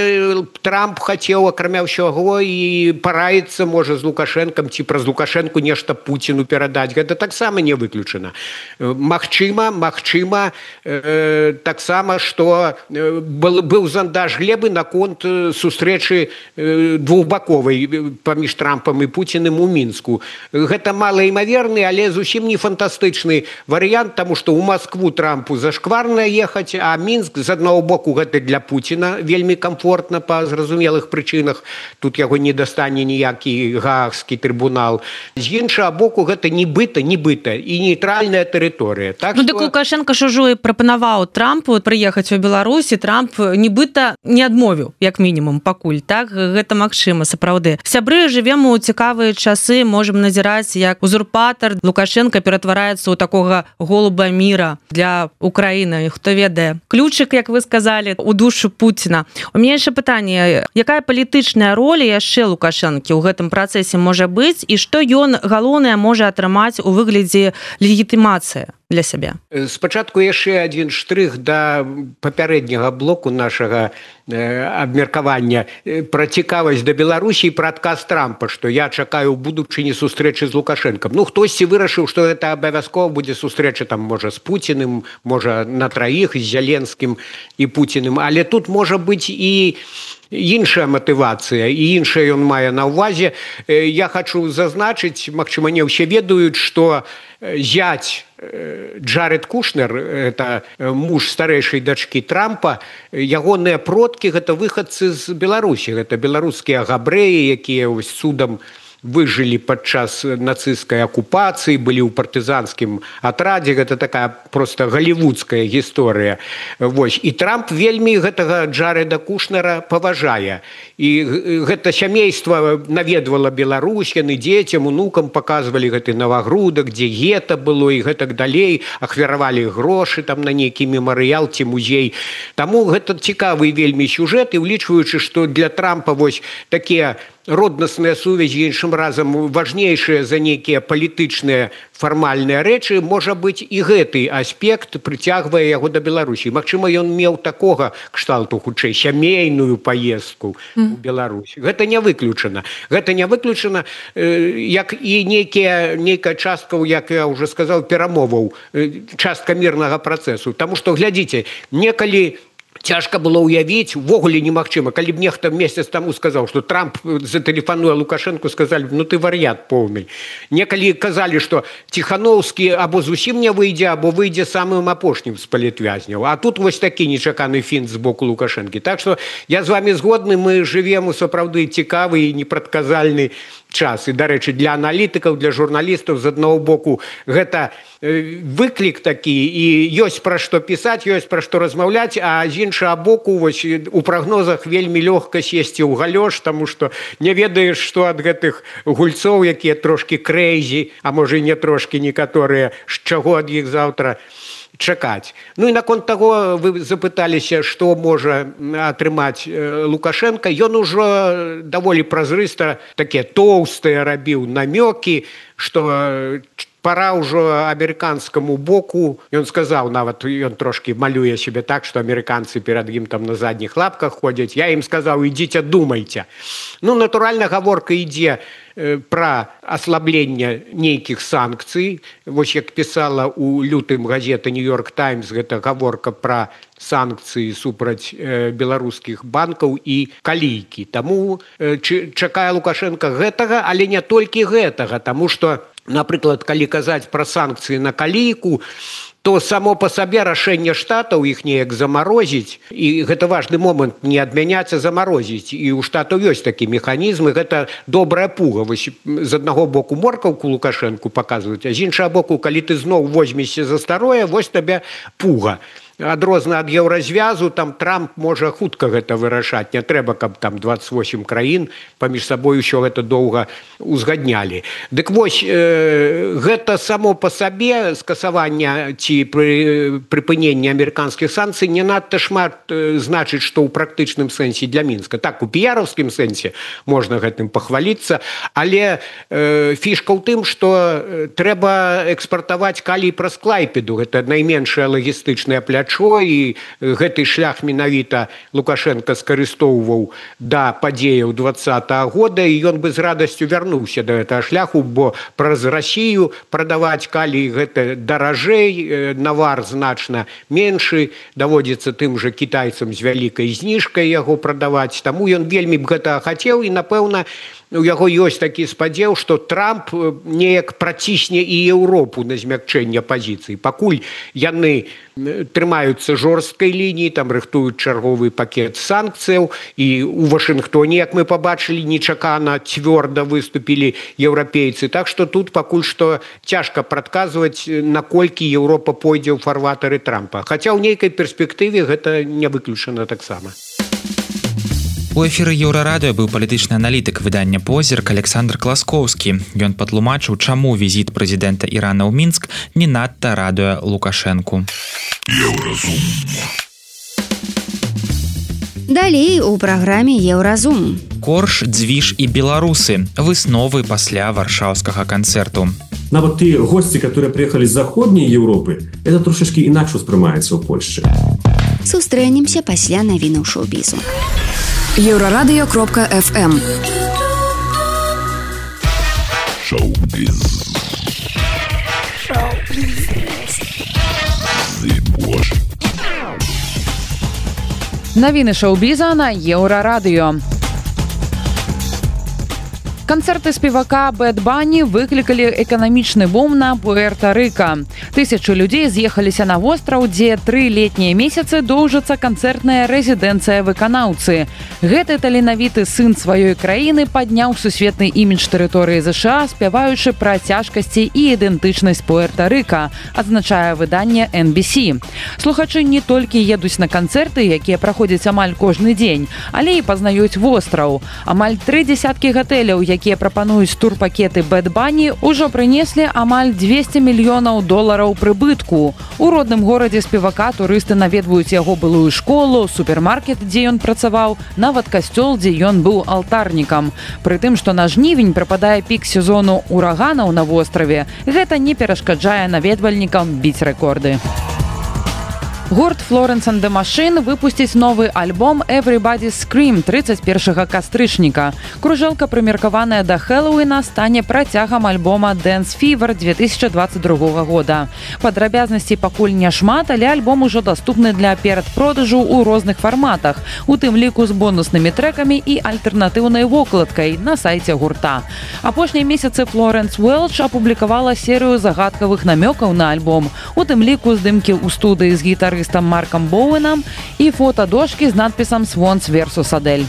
Трамп хацеў, акрамя ўсяго, і параіцца, можа, з Лукашэнкам, ці праз Лукашэнку нешта Пуціну перадаць. Гэта таксама не выключана. Магчыма, магчыма, э, таксама, што был, быў зандаж глебы наконт сустрэчы э, двухбаковай паміж Трампам і Пуціным у Мінску. Гэта малаімаверны, але зусім не фантастычны варыянт, таму што ў Маскву Трампу зашкварна ехаць, а Мінск з аднаго боку гэта для Пуціна вельмі комфортна па зразумелых прычынах. Тут яго не дастане ніякі гаагскі трыбунал. З іншага боку гэта нібыта, нібыта і нейтральная тэрыторыя. Так, ну, што... дык Лукашенко ж ужо і прапанаваў Трампу прыехаць у Беларусь, і Трамп нібыта не адмовіў, як мінімум, пакуль. Так, гэта магчыма, сапраўды. Сябры, жывем у цікавыя часы, можам назіраць, як узурпатар Лукашенко ператвараецца ў такога голуба міра для Украіны. Хто ведае. Ключык як вы сказалі, у душу Пуціна. У мяне яшчэ пытанне, якая палітычная роля яшчэ Лукашэнкі ў гэтым працэсе можа быць і што ён галоўнае можа атрымаць у выглядзе легітымацыі для сябе? Спачатку яшчэ адзін штрых да папярэдняга блоку нашага абмеркавання пра цікавасць да Беларусі і пра адказ Трампа, што я чакаю ў будучыні сустрэчы з Лукашэнкам. Ну, хтосьці вырашыў, што гэта абавязкова будзе сустрэча там, можа, з Пуціным, можа, на траіх, з Зеленскім і Пуціным, але тут можа быць і іншая матывацыя, і іншая ён мае на ўвазе. Я хачу зазначыць, магчыма, не ўсе ведаюць, што зять Джаред Кушнер, это муж старэйшай дачкі Трампа, ягоныя продкі гэта выхадцы з Беларусі, гэта беларускія габрэі, якія вось цудам выжылі падчас нацысцкай акупацыі, былі ў партызанскім атрадзе, гэта такая проста галівудская гісторыя. Вось. І Трамп вельмі гэтага Джареда Кушнера паважае. І гэта сямейства наведвала Беларусь, яны дзецям, унукам паказвалі гэты Навагрудак, дзе гета было і гэтак далей, ахвяравалі грошы там на нейкі мемарыял ці музей. Таму гэта цікавы вельмі сюжэт, і ўлічваючы, што для Трампа вось такія роднасныя сувязі іншым разам важнейшыя за нейкія палітычныя фармальныя рэчы, можа быць і гэты аспект прыцягвае яго да Беларусі. Магчыма, ён меў такога кшталту хутчэй сямейную паездку ў Беларусь. Гэта не выключана. Гэта не выключана, як і нейкія, нейкая частка, як я ўжо сказаў, перамоваў, частка мірнага працэсу. Таму што, глядзіце, некалі цяжка было ўявіць, увогуле немагчыма, калі б нехта месяц таму сказаў, што Трамп затэлефануе Лукашэнку, сказалі, ну ты вар'ят поўны. Некалі казалі, што Ціхановскі або зусім не выйдзе, або выйдзе самым апошнім з палітвязняў. А тут вось такі нечаканы фінт з боку Лукашэнкі. Так што я з вами згодны, мы жывем у сапраўды цікавы і непрадказальны час. І, дарэчы, для аналітыкаў, для журналістаў з аднаго боку гэта выклік такі, і ёсць пра што пісаць, ёсць пра што размаўляць, а з іншага боку вось, у прагнозах вельмі лёгка сесці ў галёш, таму што не ведаеш, што ад гэтых гульцоў, якія трошкі крэйзі, а можа і не трошкі некаторыя, з чаго ад іх заўтра чакаць. Ну і наконт таго вы запыталіся, што можа атрымаць Лукашенко. Ён ужо даволі празрыста такія тоўстыя рабіў намёкі, што пора ўжо амерыканскаму боку. Ён сказаў, нават ён трошкі малюе себе так, што амерыканцы перад ім там на задніх лапках ходзяць. Я ім сказаў, ідзіце, думайце. Ну, натуральна, гаворка ідзе пра аслабленне нейкіх санкцый. Вось як пісала ў лютым газета «Нью-Йорк Таймс», гэта гаворка пра санкцыі супраць беларускіх банкаў і калійкі. Таму чакае Лукашенко гэтага, але не толькі гэтага, таму што, напрыклад, калі казаць пра санкцыі на калійку, то само по сабе рашэнне штатаў іх неяк замарозіць, і гэта важны момант, не адмяняць, а замарозіць. І ў штатаў ёсць такі механізм, і гэта добрая пуга. Вось з аднаго боку моркаўку Лукашэнку паказваюць, а з іншага боку, калі ты зноў возьмешся за старое, вось табе пуга. Адрозна ад еўразвязу, там Трамп можа хутка гэта вырашаць. Не трэба, каб там дваццаць восем краін паміж сабой усё гэта доўга узгаднялі. Дык вось, э, гэта само па сабе скасаванне ці пры, прыпыненне амерыканскіх санкцый не надта шмат э, значыць, што ў практычным сэнсе для Мінска. Так, у піяраўскім сэнсе можна гэтым пахваліцца, але э, фішка ў тым, што трэба экспартаваць калій праз Клайпеду. Гэта найменшая лагістычная пляча, і гэты шлях менавіта Лукашенко скарыстоўваў да падзеяў двадцатага года, і ён бы з радасцю вярнуўся да гэтага шляху, бо праз Расію прадаваць калій гэта даражэй, навар значна меншы, даводзіцца тым жа кітайцам з вялікай зніжкай яго прадаваць. Таму ён вельмі б гэтага хацеў, і, напэўна, у яго ёсць такі спадзеў, што Трамп неяк працісне і Еўропу на змякчэнне пазіцый. Пакуль яны трымаюцца жорсткай лініі, там рыхтуюць чарговы пакет санкцыяў, і ў Вашынгтоне, як мы пабачылі, нечакана цвёрда выступілі еўрапейцы. Так што тут пакуль што цяжка прадказваць, наколькі Еўропа пойдзе ў фарватары Трампа. Хаця ў нейкай перспектыве гэта не выключана таксама. У эфіры Еўрарадыё быў палітычны аналітык выдання «Позірк» Александр Класкоўскі. Ён патлумачыў, чаму візіт прэзідэнта Ірана ў Мінск не надта радуе Лукашэнку. Еўразум. Далей у праграме Еўразум. Корж, дзвіж і беларусы. Высновы пасля варшаўскага канцэрту. Нават тыя госці, которые приехали з заходняй Европы, это трошечки інакш успрымаецца ў Польшчы. Сустрэнемся пасля навінаў шоу-бізу. Еўрарадыё кропка эф эм. Шоу-біз. Навіны шоу-біза на Еўрарадыё. Канцэрты спевака Бэд Банні выклікалі эканамічны бум на Пуэрта-Рыка. Тысячы людзей з'ехаліся на востраў, дзе тры летнія месяцы доўжыцца канцэртная рэзідэнцыя выканаўцы. Гэты таленавіты сын сваёй краіны падняў сусветны імідж тэрыторыі ЗША, спяваючы пра цяжкасці і ідэнтычнасць Пуэрта-Рыка, адзначае выданне эн би сі. Слухачы не толькі едуць на канцэрты, якія праходзяць амаль кожны дзень, але і пазнаюць востраў. Амаль тры дзесяткі гатэляў, якія прапануюць турпакеты Бэд Банні, ужо прынеслі амаль дзвесце мільёнаў долараў прыбытку. У родным горадзе спевака турысты наведваюць яго былую школу, супермаркет, дзе ён працаваў, нават касцёл, дзе ён быў алтарнікам. Прытым, што на жнівень прыпадае пік сезону ураганаў на востраве, гэта не перашкаджае наведвальнікам біць рэкорды. Гурт Florence and the Machine выпусціць новы альбом Everybody's Scream тридцать першага кастрычніка. Кружэлка, прымеркаваная да Хэллоуіна, стане працягам альбома Dance Fever две тысячи двадцать другога года. Падрабязнасцей пакуль няшмат, але альбом ужо даступны для перадпродажу ў розных фарматах, у тым ліку з бонуснымі трэкамі і альтэрнатыўнай вокладкай на сайце гурта. Апошнія месяцы Флоренс Уэлч апублікавала серыю загадкавых намёкаў на альбом, у тым ліку здымкі ў студыі з гітарыстам Марком Боуэнам і фотадошкі з надпісам «Swans versus Adele».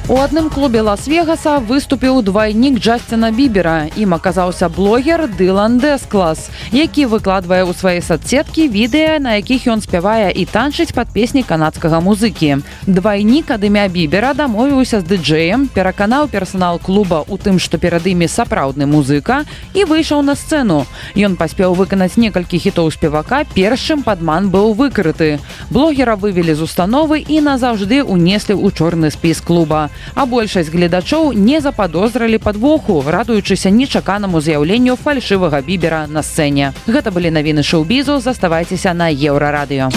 У адным клубе Лас-Вегаса выступіў двайнік Джасціна Бібера. Ім аказаўся блогер Дылан Дэсклас, які выкладвае ў свае соцсеткі відэа, на якіх ён спявае і танчыць пад песні канадскага музыкі. Двайнік ад імя Бібера дамовіўся з дыджэем, пераканаў персанал клуба ў тым, што перад імі сапраўдны музыка, і выйшаў на сцэну. Ён паспеў выканаць некалькі хітоў спевака, перш чым падман быў выкрыты. Блогера вывелі з установы і назаўжды унеслі ў чорны спіс клуба. А большасць гледачоў не западозрылі падвоху, радуючыся нечаканаму з'яўленню фальшывага Бібера на сцэне. Гэта былі навіны шоу-бізу, заставайцеся на Еўрарадыё.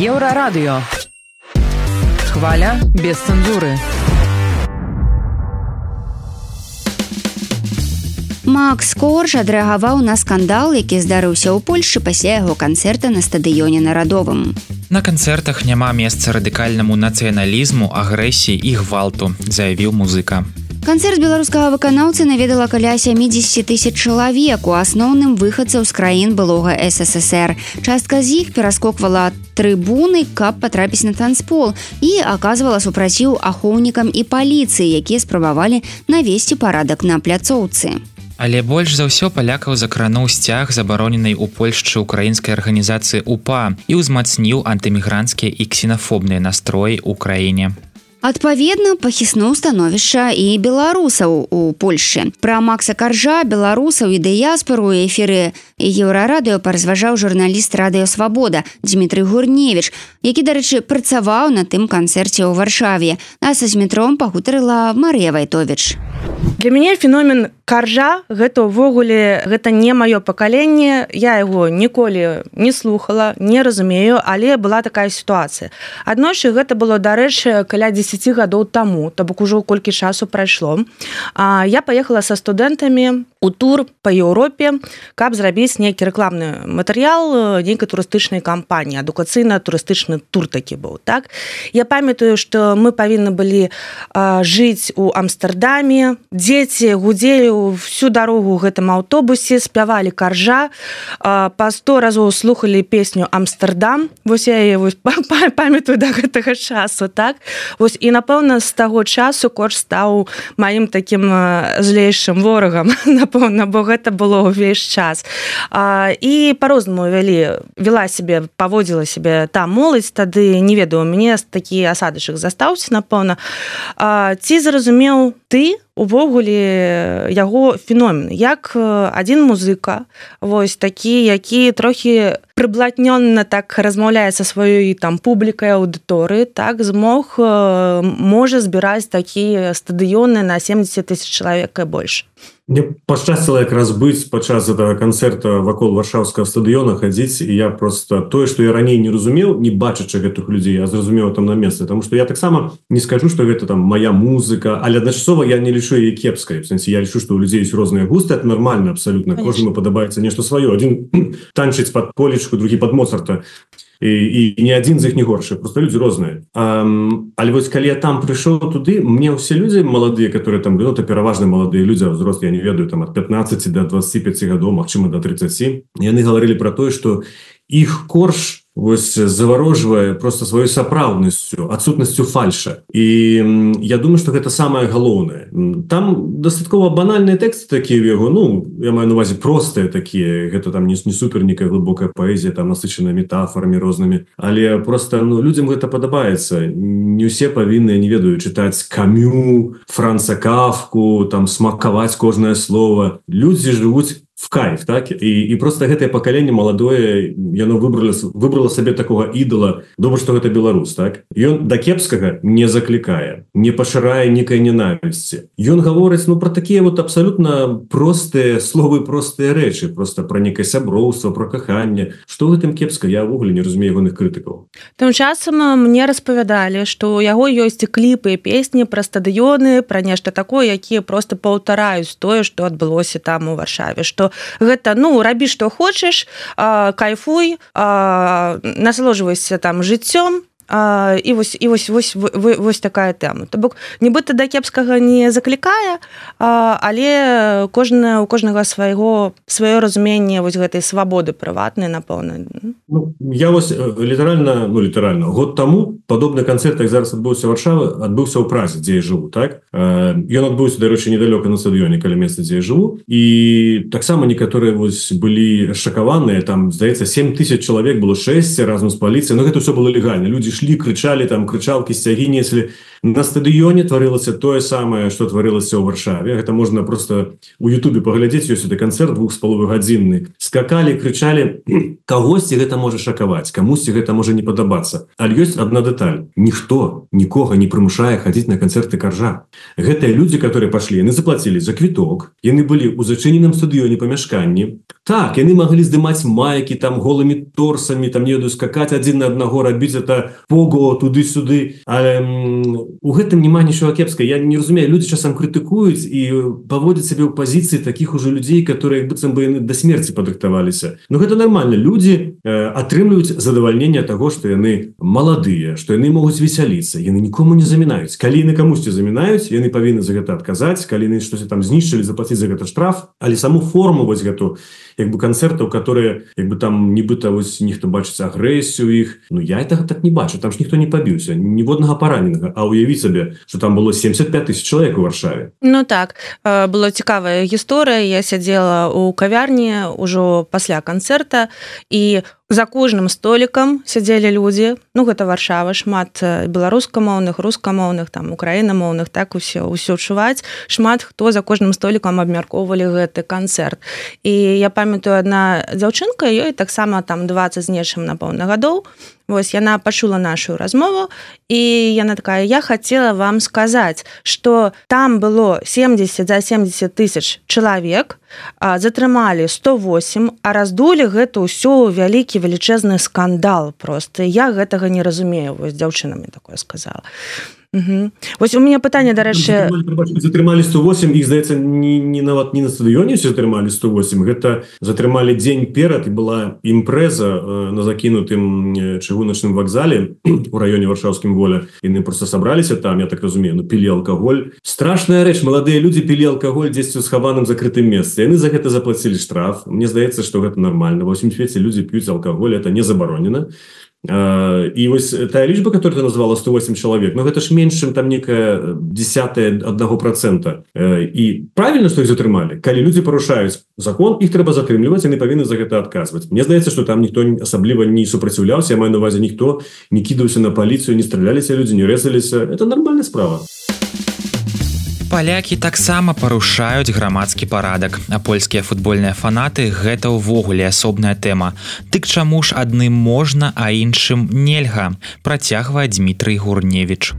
Еўрарадыё. Хваля без цэнзуры. Макс Корж адрэагаваў на скандал, які здарыўся ў Польшчы пасля яго канцэрта на стадыёне Нарадовым. На канцэртах няма месца радыкальнаму нацыяналізму, агрэсіі і гвалту, заявіў музыка. Канцэрт беларускага выканаўцы наведала каля сямідзесят тысяч чалавек, у асноўным выхадцаў з краін былога эс эс эс эр. Частка з іх пераскоквала трыбуны, каб патрапіць на танцпол, і аказвала супраціў ахоўнікам і паліцыі, якія спрабавалі навесці парадак на пляцоўцы. Але больш за ўсё палякаў закрануў сцяг забароненай у Польшчы украінскай арганізацыі УПА і ўзмацніў антымігранцкія і ксенафобныя настроі ў краіне. Адпаведна, пахіснуў становішча і беларусаў у Польшчы. Пра Макса Каржа, беларусаў і дыяспару у эфіры Еўрарадыё паразважаў журналіст Радыё Свабода Дмітрый Гурневіч, які, дарэчы, працаваў на тым канцэрце ў Варшаве. А са Змітром пагутарыла Марыя Вайтовіч. Для мяне феномен Каржа гэта ўвогуле гэта не маё пакаленне, я яго ніколі не слухала, не разумею, але была такая сітуацыя. Аднойчы гэта было, дарэчы, каля дзесяць гадоў таму, то бок ужо колькі часу прайшло. А я паехала са студэнтамі у тур па Еўропе, каб зрабіць нейкі рэкламны матэрыял нейкай турыстычнай кампаніі, адукацыйна-турыстычны тур такі быў, так? Я памятаю, што мы павінны былі а, жыць у Амстэрдаме, дзеці гудзелі всю дарогу ў гэтым аўтобусе, спявалі Каржа, а, па сто разоў слухалі песню «Амстэрдам». Вось я яе памятаю да гэтага часу, так? Вось, і, напэўна, з таго часу Корж стаў маім такім злейшым ворагам, напэўна, бо гэта было ўвесь час. А, і па-рознаму вялі, вела сябе, паводзіла сябе та моладзь, тады, не ведаю, у мяне такі асадачак застаўся, напэўна. А, ці зразумеў ты, увогуле яго феномен, як адзін музыка, вось такі, які трохі прыблатнённа так размаўляе са сваёй там публікай, аўдыторыі, так змог можа збіраць такія стадыёны на семьдесят тысяч чалавек і больш. Мне пашчасціла якраз быць падчас этого канцэрта вакол варшаўскага стадыёна хадзіць, і я просто тое, што я раней не разумеў, не бачачы гэтых людзей, я зразумеў там на месцы, потому што я таксама не скажу, што гэта там моя музыка, але адначасова я не лічу яе кепскай. В сэнсе я лічу, што у людзей ёсць розныя густы, это нормально абсолютно. Кожнаму падабаецца нешта сваё. Адзін танчыць пад Полечку, другі пад Моцарта. І, і ні адзін з іх не горшы, просто людзі розныя. А, але вось калі я там прыйшоў туды, мне ўсе людзі маладыя, которые там, ну, то пераважна маладыя людзі, а ўзрост, я не ведаю, там ад пятнаццаці до двадцати пяти гадоў, магчыма, до тридцати, яны гаварылі пра тое, што іх корж вось заварожвае просто сваёй сапраўднасцю, адсутнасцю фальша. І я думаю, што гэта самае галоўнае. Там дастаткова банальныя тэксты такія ў яго, ну, я маю на увазе простыя такія, гэта там не, не супер некая глыбокая паэзія, там насычаная метафорамі рознымі, але просто, ну, людзям гэта падабаецца. Не ўсе павінны, не ведаю, чытаць Камю, Франца Кафку, там смакаваць кожнае слово. Людзі жывуць в кайф, так? І, і просто гэтае пакаленне маладое, яно выбрала, выбрала сабе такога ідала, добра, што гэта беларус, так? Ён да кепскага не заклікае, не пашырае нейкай ненавісці. Ён гаворыць, ну, пра такія вот абсалютна простыя словы, простыя рэчы, просто пра некае сяброўства, пра каханне. Што ў гэтым кепска? Я ўвогуле не разумею ягоных крытыкаў. Тым часам мне распавядалі, што у яго ёсць кліпы і песні пра стадыёны, пра нешта такое, якія просто паўтараюць тое, што адбылося там у Варшаве, што гэта, ну, рабі, што хочаш, кайфуй, насалоджвайся там жыццём, А, і вось, і вось, вось, вось, вось такая тэма. То бок, нібыта да кепскага не заклікае, а, але кожна, у кожнага свайго, сваё разуменне вось гэтай свабоды прыватнай, напэўна. Ну, я вось літаральна, ну, літаральна, год таму падобны канцэрт, як зараз адбыўся ў Варшаве, адбыўся ў Празе, дзе я жыву, так? Ён адбыўся, дарэчы, недалёка на стадыёне, каля месца, дзе я жыву, і таксама некаторыя вось былі шакаваныя, там, здаецца, сем тысяч чалавек было, шэсць разам з паліцыяй, но гэта ўсё было легальна, людзі шлі, крычалі, там крычалкі, сцягі неслі. На стадыёне тварылася тое самае, што тварылася ў Варшаве. Гэта можна просто у Ютубе паглядзець, ёсць гэты канцэрт двух з паловай гадзінны. Скакалі, крычалі, кагосьці гэта можа шакаваць, камусьці гэта можа не падабацца. Але ёсць адна дэталь. Ніхто нікога не прымушае хадзіць на канцэрты Каржа. Гэтыя людзі, которые пашлі, яны заплацілі за квіток, яны былі ў зачыненым стадыёне памяшканні. Так, яны маглі здымаць майкі там голымі торсамі, там не ведаю, скакаць адзін на аднаго, рабіць это пого туды-сюды, але у гэтым няма нічога кепска. Я не разумею, людзі часам крытыкуюць і паводзяць сябе ў пазіцыі такіх ужо людзей, которые як быццам бы яны да смерці падрыхтаваліся. Но гэта нармальна. Людзі э, атрымліваюць задавальненне таго, што яны маладыя, што яны могуць весяліцца, яны нікому не замінаюць. Калі яны камусьці замінаюць, яны павінны за гэта адказаць, калі яны штосьці там знішчылі, заплаціць за гэта штраф, але саму форму вось гэту, як бы канцэртаў, которые як бы там нібыта вось ніхто бачыць агрэсію іх, ну я это так не бачу, там ж ніхто не пабіўся, ніводнага параненага, а уявіць сабе, што там было семьдесят пять тысяч чалавек у Варшаве. Ну так, была цікавая гісторыя, я сядзела ў кавярні ўжо пасля канцэрта, і за кожным столікам сядзелі людзі, ну гэта Варшава, шмат беларускамоўных, рускамоўных, там украінамоўных, так усё, усё чуваць, шмат хто за кожным столікам абмяркоўвалі гэты канцэрт. І я памятаю, адна дзяўчынка, ёй таксама там двадцать з нечым, напэўна, гадоў, вось яна пачула нашу размову, і яна такая, я хацела вам сказаць, што там было семьдесят за семьдесят тысяч чалавек, затрымалі сто восемь, а раздулі гэта ўсё вялікі велічэзны скандал просто. Я гэтага не разумею, вось дзяўчына мне такое сказала. Угу. Вось у меня пытанне, дарэчы, затрымалі сто восемь, іх здаецца не, не нават не на стадыёне все затрымалі сто восемь, гэта затрымалі дзень перад, і была імпрэза э, на закінутым чыгуначным вакзале у раёне варшаўскім Воля. Яны просто сабраліся там, я так разумею, ну пілі алкаголь. Страшная рэч, маладыя людзі пілі алкаголь дзесьці ў схаваным закрытым месцы. Яны за гэта заплацілі штраф. Мне здаецца, што гэта нармальна. Ва ўсім свеце людзі п'юць алкаголь, это не забаронена. І вось тая лічба, которую ты назвала сто восемь чалавек, ну гэта ж менш, чым там некая десятая аднаго процента. І правільна, што іх затрымалі. Калі людзі парушаюць закон, іх трэба затрымліваць, яны павінны за гэта адказваць. Мне здаецца, што там ніхто асабліва не супраціўляўся, я маю на увазе, ніхто не кідаўся на паліцыю, не страляліся людзі, не рэзаліся. Это нармальная справа. Палякі таксама парушаюць грамадскі парадак, а польскія футбольныя фанаты гэта ўвогуле асобная тэма. Дык чаму ж адным можна, а іншым нельга, працягвае Дмітрый Гурневіч.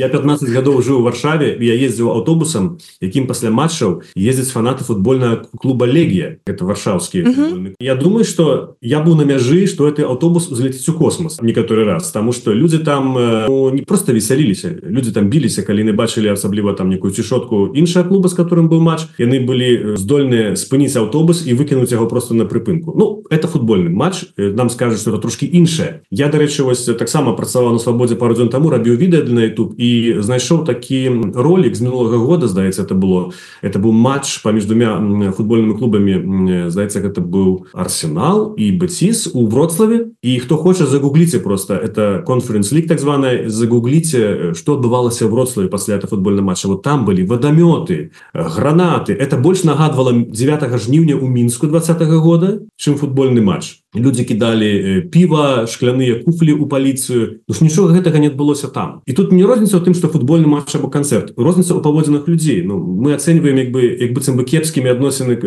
Я пятнадцать гадоў жыў у Варшаве, я ездзіў аўтобусам, якім пасля матчаў ездзяць фанаты футбольнага клуба Легія, гэта варшаўскі. Uh-huh. Я думаю, што я быў на мяжы, што гэты аўтобус узлеціць у космос некаторы раз, таму што людзі там ну, не проста весяліліся, людзі там біліся, калі не бачылі асабліва там некую цішотку іншага клуба, з которым быў матч, яны былі здольныя спыніць аўтобус і выкінуць яго просто на прыпынку. Ну, это футбольны матч, нам скажуць, што это трошкі іншае. Я, дарэчы, вось таксама працаваў на Свабодзе пару дзён таму, рабіў відэа на YouTube і знайшоў такі ролик з мінулага года, здаецца, это было. Это быў матч паміж двумя футбольнымі клубамі, здаецца, гэта быў Арсенал і Бетис у Вроцлаве. І хто хоча, загугліце просто, это Conference League так званая, загугліце, што адбывалася ў Вроцлаве пасля этого футбольного матча. Вот там былі вадамёты, гранаты. Это больш нагадвала дзевятага жніўня ў Мінску двадцатага года, чым футбольны матч. Людзі кідалі піва, шкляныя куфлі ў паліцыю. Ну ж нічога гэтага не адбылося там. І тут не розніца ў тым, што футбольны матч або канцэрт. Розніца ў паводзінах людзей. Ну, мы ацэньваем як бы, як быццам бы кепскімі адносіны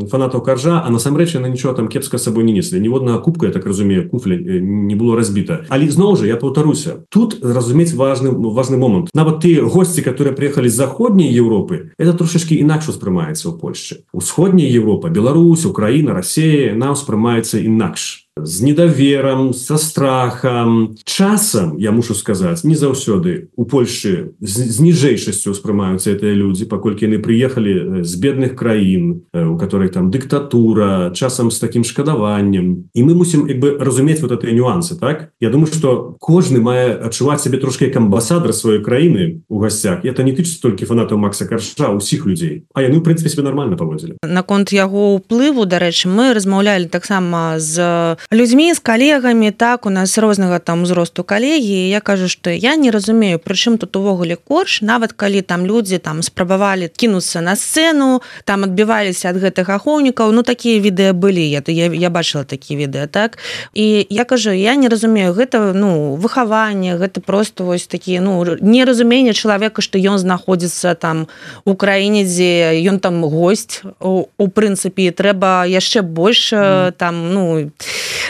фанатаў Каржа, а насамрэч яны нічога там кепска з сабой не неслі. Ніводнага кубка, я так разумею, куфля не было разбіта. Але зноў жа, я паўтаруся. Тут разумець важны, важны момант. Нават тыя госці, которые прыехалі з заходняй Европы, это трошачкі інакш успрымаецца ў Польшчы. Усходняя Европа, Беларусь, Украіна, Расія, нам успрымаецца інакш. З недаверам, са страхам. Часам, я мушу сказаць, не заўсёды у Польшчы з, з ніжэйшасцю ўспрымаюцца гэтыя людзі, паколькі яны прыехалі з бедных краін, у которых там дыктатура, часам з такім шкадаваннем. І мы мусім як бы разумець вот гэтыя нюансы, так? Я думаю, што кожны мае адчуваць сябе трошки як амбасадар сваёй краіны ў гасцях. І это не тычыцца толькі фанатаў Макса Каржа, усіх людзей. А яны, ў прынцыпе, себе нормально паводзілі. Наконт яго ўплыву, дарэчы, мы размаўлялі таксама з людзьмі, з калегамі, так, у нас рознага там узросту калегі, я кажу, што я не разумею, прычым тут увогуле корж, нават калі там людзі там спрабавалі кінуцца на сцэну, там адбіваліся ад гэтых ахоўнікаў, ну такія відэа былі, я, я, я бачыла такія відэа, так, і я кажу, я не разумею, гэта, ну, выхаванне, гэта просто вось такі, ну, неразуменне чалавека, што ён знаходзіцца там у краіне, дзе ён там госць, у, у прынцыпе, трэба яшчэ больш mm. там, ну,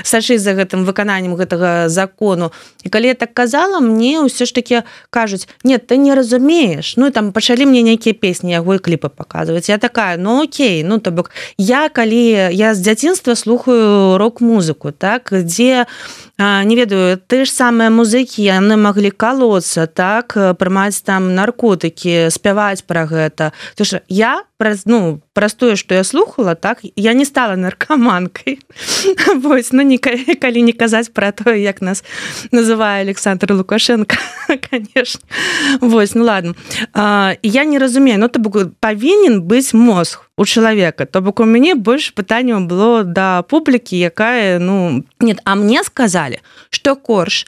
сачыць за гэтым выкананнем гэтага закону. І калі я так казала, мне ўсё ж такі кажуць, нет, ты не разумееш. Ну, і там пачалі мне нейкія песні, яго і кліпы паказваць. Я такая, ну, окей, ну, то бок, я, калі я з дзяцінства слухаю рок-музыку, так, дзе, а, не ведаю, ты ж самыя музыкі, яны маглі калоцца, так, прымаць там наркотыкі, спяваць пра гэта. То ж я, праз, ну, праз тое, што я слухала, так, я не стала наркаманкай. Вось, ну, не, калі не казаць пра тое, як нас называе Александр Лукашенко, конечно. Вось, ну, ладно. А, я не разумею, ну, то бок, павінен быць мозг у чалавека. То бок, у мяне больш пытанняў было да публікі, якая, ну, нет, а мне сказалі, што корж,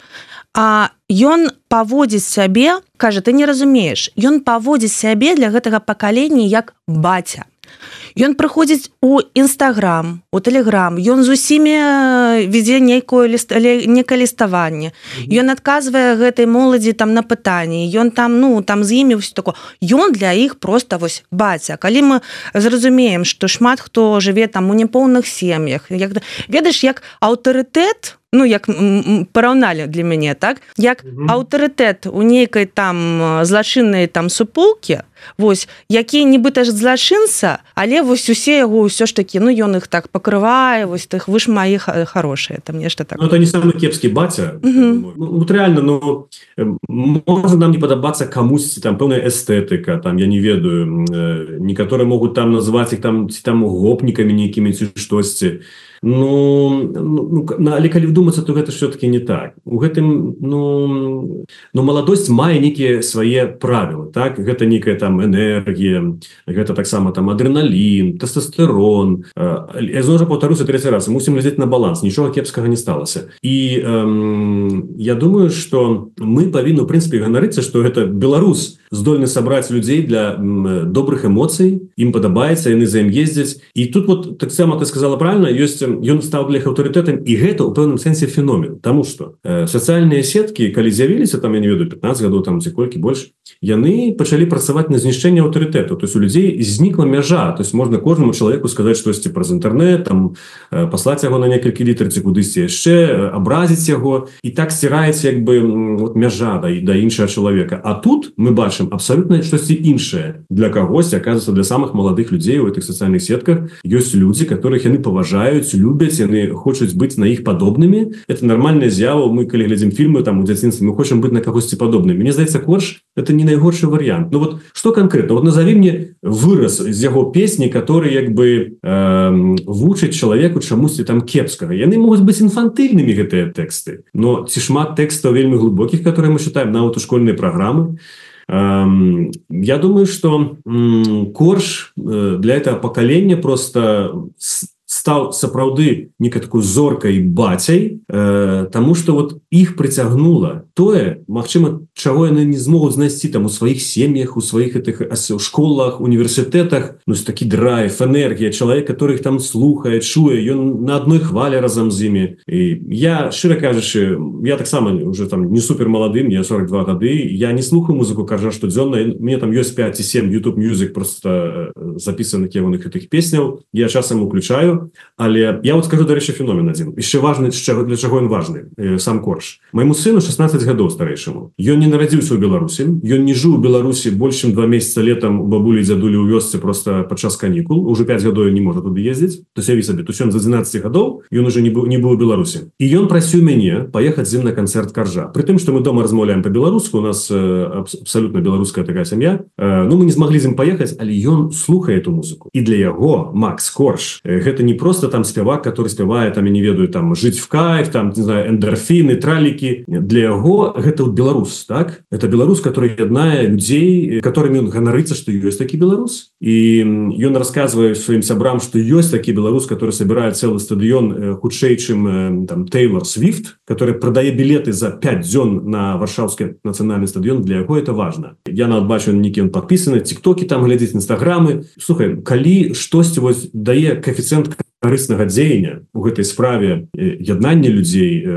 а ён паводзіць сябе, кажа, ты не разумееш, ён паводзіць сябе для гэтага пакалення як баця. Ён прыходзіць у Інстаграм, у Тэлеграм, ён з усімі вядзе нейкое некае ліставанне. Ён адказвае гэтай моладзі там на пытанні, ён там, ну, там з імі ўсё такое. Ён для іх проста вось баця. Калі мы зразумеем, што шмат хто жыве там у няпоўных сем'ях, як, ведаеш, як аўтарытэт, ну, як параўналі для мяне, так? Як mm-hmm. аўтарытэт у нейкай там злачыннай там супулкі, вось, які нібыта ж злачынца, але вось усе яго ўсё ж такі, ну, ён іх так пакрывае, вось тых, вы ж маі хорошыя, там нешта такое. Ну, это не самы кепскі баця. Mm-hmm. Ну, вот реально, ну, можа нам не падабацца камусьці там пэўная эстэтыка, там, я не ведаю, некаторыя могуць там назваць іх там, ці там гопнікамі нейкімі ці штосьці. Ну, ну, але калі вдумацца, то гэта все-таки не так. У гэтым, ну, ну маладосць мае нейкія свае правілы, так? Гэта нейкая там там энергія, гэта таксама там адреналін, тэстостерон. Я зноў жа паўтаруся трэці раз, мусім глядзець на баланс, нічога кепскага не сталася. І эм, я думаю, што мы павінны в прынцыпе ганарыцца, што гэта беларус здольны сабраць людзей для м, добрых эмоцый, ім падабаецца, яны за ім ездзяць. І тут вот таксама ты сказала правильно, ёсць ён стаў для іх аўтарытэтам, і гэта ў пэўным сэнсе феномен, таму што э, сацыяльныя сеткі, калі з'явіліся там, я не ведаю, пятнаццаць гадоў там ці колькі больш, яны пачалі працаваць на знішчэнне аўтарытэту. То есть у людзей знікла мяжа, то есть можна кожнаму чалавеку сказаць штосьці праз інтэрнэт, там э, паслаць яго на некалькі літр ці кудысьці яшчэ, э, абразіць яго, і так сціраецца як бы вот, мяжа да, да іншага чалавека. А тут мы бачым абсолютно штосьці іншае. Для кагосьці, оказывается, для самых маладых людзей у этих сацыяльных сетках ёсць людзі, которых яны паважаюць, любяць, яны хочуць быць на іх падобнымі. Это нормальная з'ява. Мы калі глядзім фільмы там у дзяцінстве, мы хочам быць на кагосьці падобнымі. Мне здаецца, корж это не найгоршы варыянт. Ну вот что конкретно? Вот назови мне выраз з яго песні, который як бы э, вучыць чалавеку чамусьці там кепскага. Яны могуць быць інфантыльнымі гэтыя тэксты, но ці шмат тэкстаў вельмі глубокіх, которые мы читаем нават у школьнай праграмы. Эм, я думаю, что м, корж э, для этого поколения просто стаў сапраўды некай такой зоркай бацяй, э, таму што вот іх прыцягнула тое, магчыма, чаго яны не змогуць знайсці там у сваіх сем'ях, у сваіх этих школах, універсітэтах. Ну, такі драйв, энергія, чалавек, который их там слухае, чуе, ён на адной хвале разам з імі. І я, шчыра кажучы, я таксама уже там не супер маладым, я сорок два гады, я не слухаю музыку Коржа штодзённа, мне там ёсць пять ці сем YouTube Music просто запісаных ягоных гэтых песняў, я часам уключаю. Але я вот скажу, дарэчы, феномен адзін. Яшчэ важны, для чаго ён важны, сам Корж. Майму сыну шестнадцать гадоў старэйшаму. Ён не нарадзіўся ў Беларусі, ён не жыў у Беларусі больш чым два месяца летам у бабулі і дзядулі ў вёсцы просто падчас канікул. Уже пять гадоў не можа туды ездзіць. То сяві сабе, то ён за двенадцать гадоў, ён уже не быў, не быў у Беларусі. І ён прасіў мяне паехаць з ім на канцэрт Коржа. Пры тым, што мы дома размаўляем па-беларуску, у нас э, абсалютна беларуская такая сям'я. Э, ну, мы не змаглі з ім паехаць, але ён слухае эту музыку. І для яго Макс Корж э, гэта не просто там спевак, который спевае, там, я не ведаю, там, жить в кайф, там, не знаю, эндорфины, тралики. Для яго гэта вот беларус, так? Это беларус, который яднае людей, которыми он ганарыцца, что ёсць такі беларус. И ён рассказывае своим сябрам, что ёсць такі беларус, который собирает целый стадион хутчэй, чым там Тейлор Свифт, который продае билеты за пять дзён на Варшаўскі нацыянальны стадион. Для яго это важно. Я нават бачу, некі он подписаны, тиктоки там глядзець, инстаграмы. Слухай, калі штосьці вось дае коэфіцыент карыснага дзеяння у гэтай справе яднання людзей,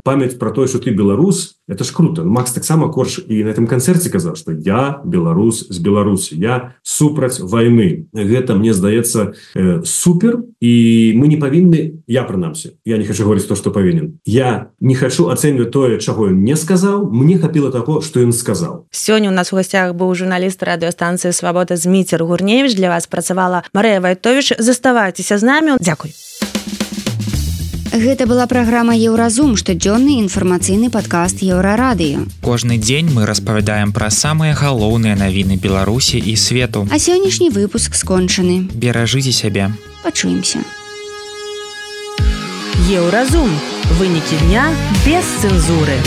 памяць про тое, что ты беларус, это ж круто. Макс таксама Корж і на этом канцэрце казаў, что я беларус з Беларусі, я супраць вайны. Гэта, мне здаецца, супер, і мы не павінны, я прынамсі, я не хочу говорить то, что павінен. Я не хочу ацэньваць тое, чаго ён не сказаў, мне хапіла таго, што ён сказаў. Сёння у нас у гасцях быў журналіст радыёстанцыі «Свабода» Зміцер Гурневіч. Для вас працавала Марыя Вайтовіч. Заставайцеся з намі. Дзякуй. Гэта была праграма «Еўразум», штодзённы інфармацыйны падкаст Еўрарадыё. Кожны дзень мы распавядаем пра самыя галоўныя навіны Беларусі і свету. А сённяшні выпуск скончаны. Беражыце сябе. Пачуемся. Еўразум. Вынікі дня без цэнзуры.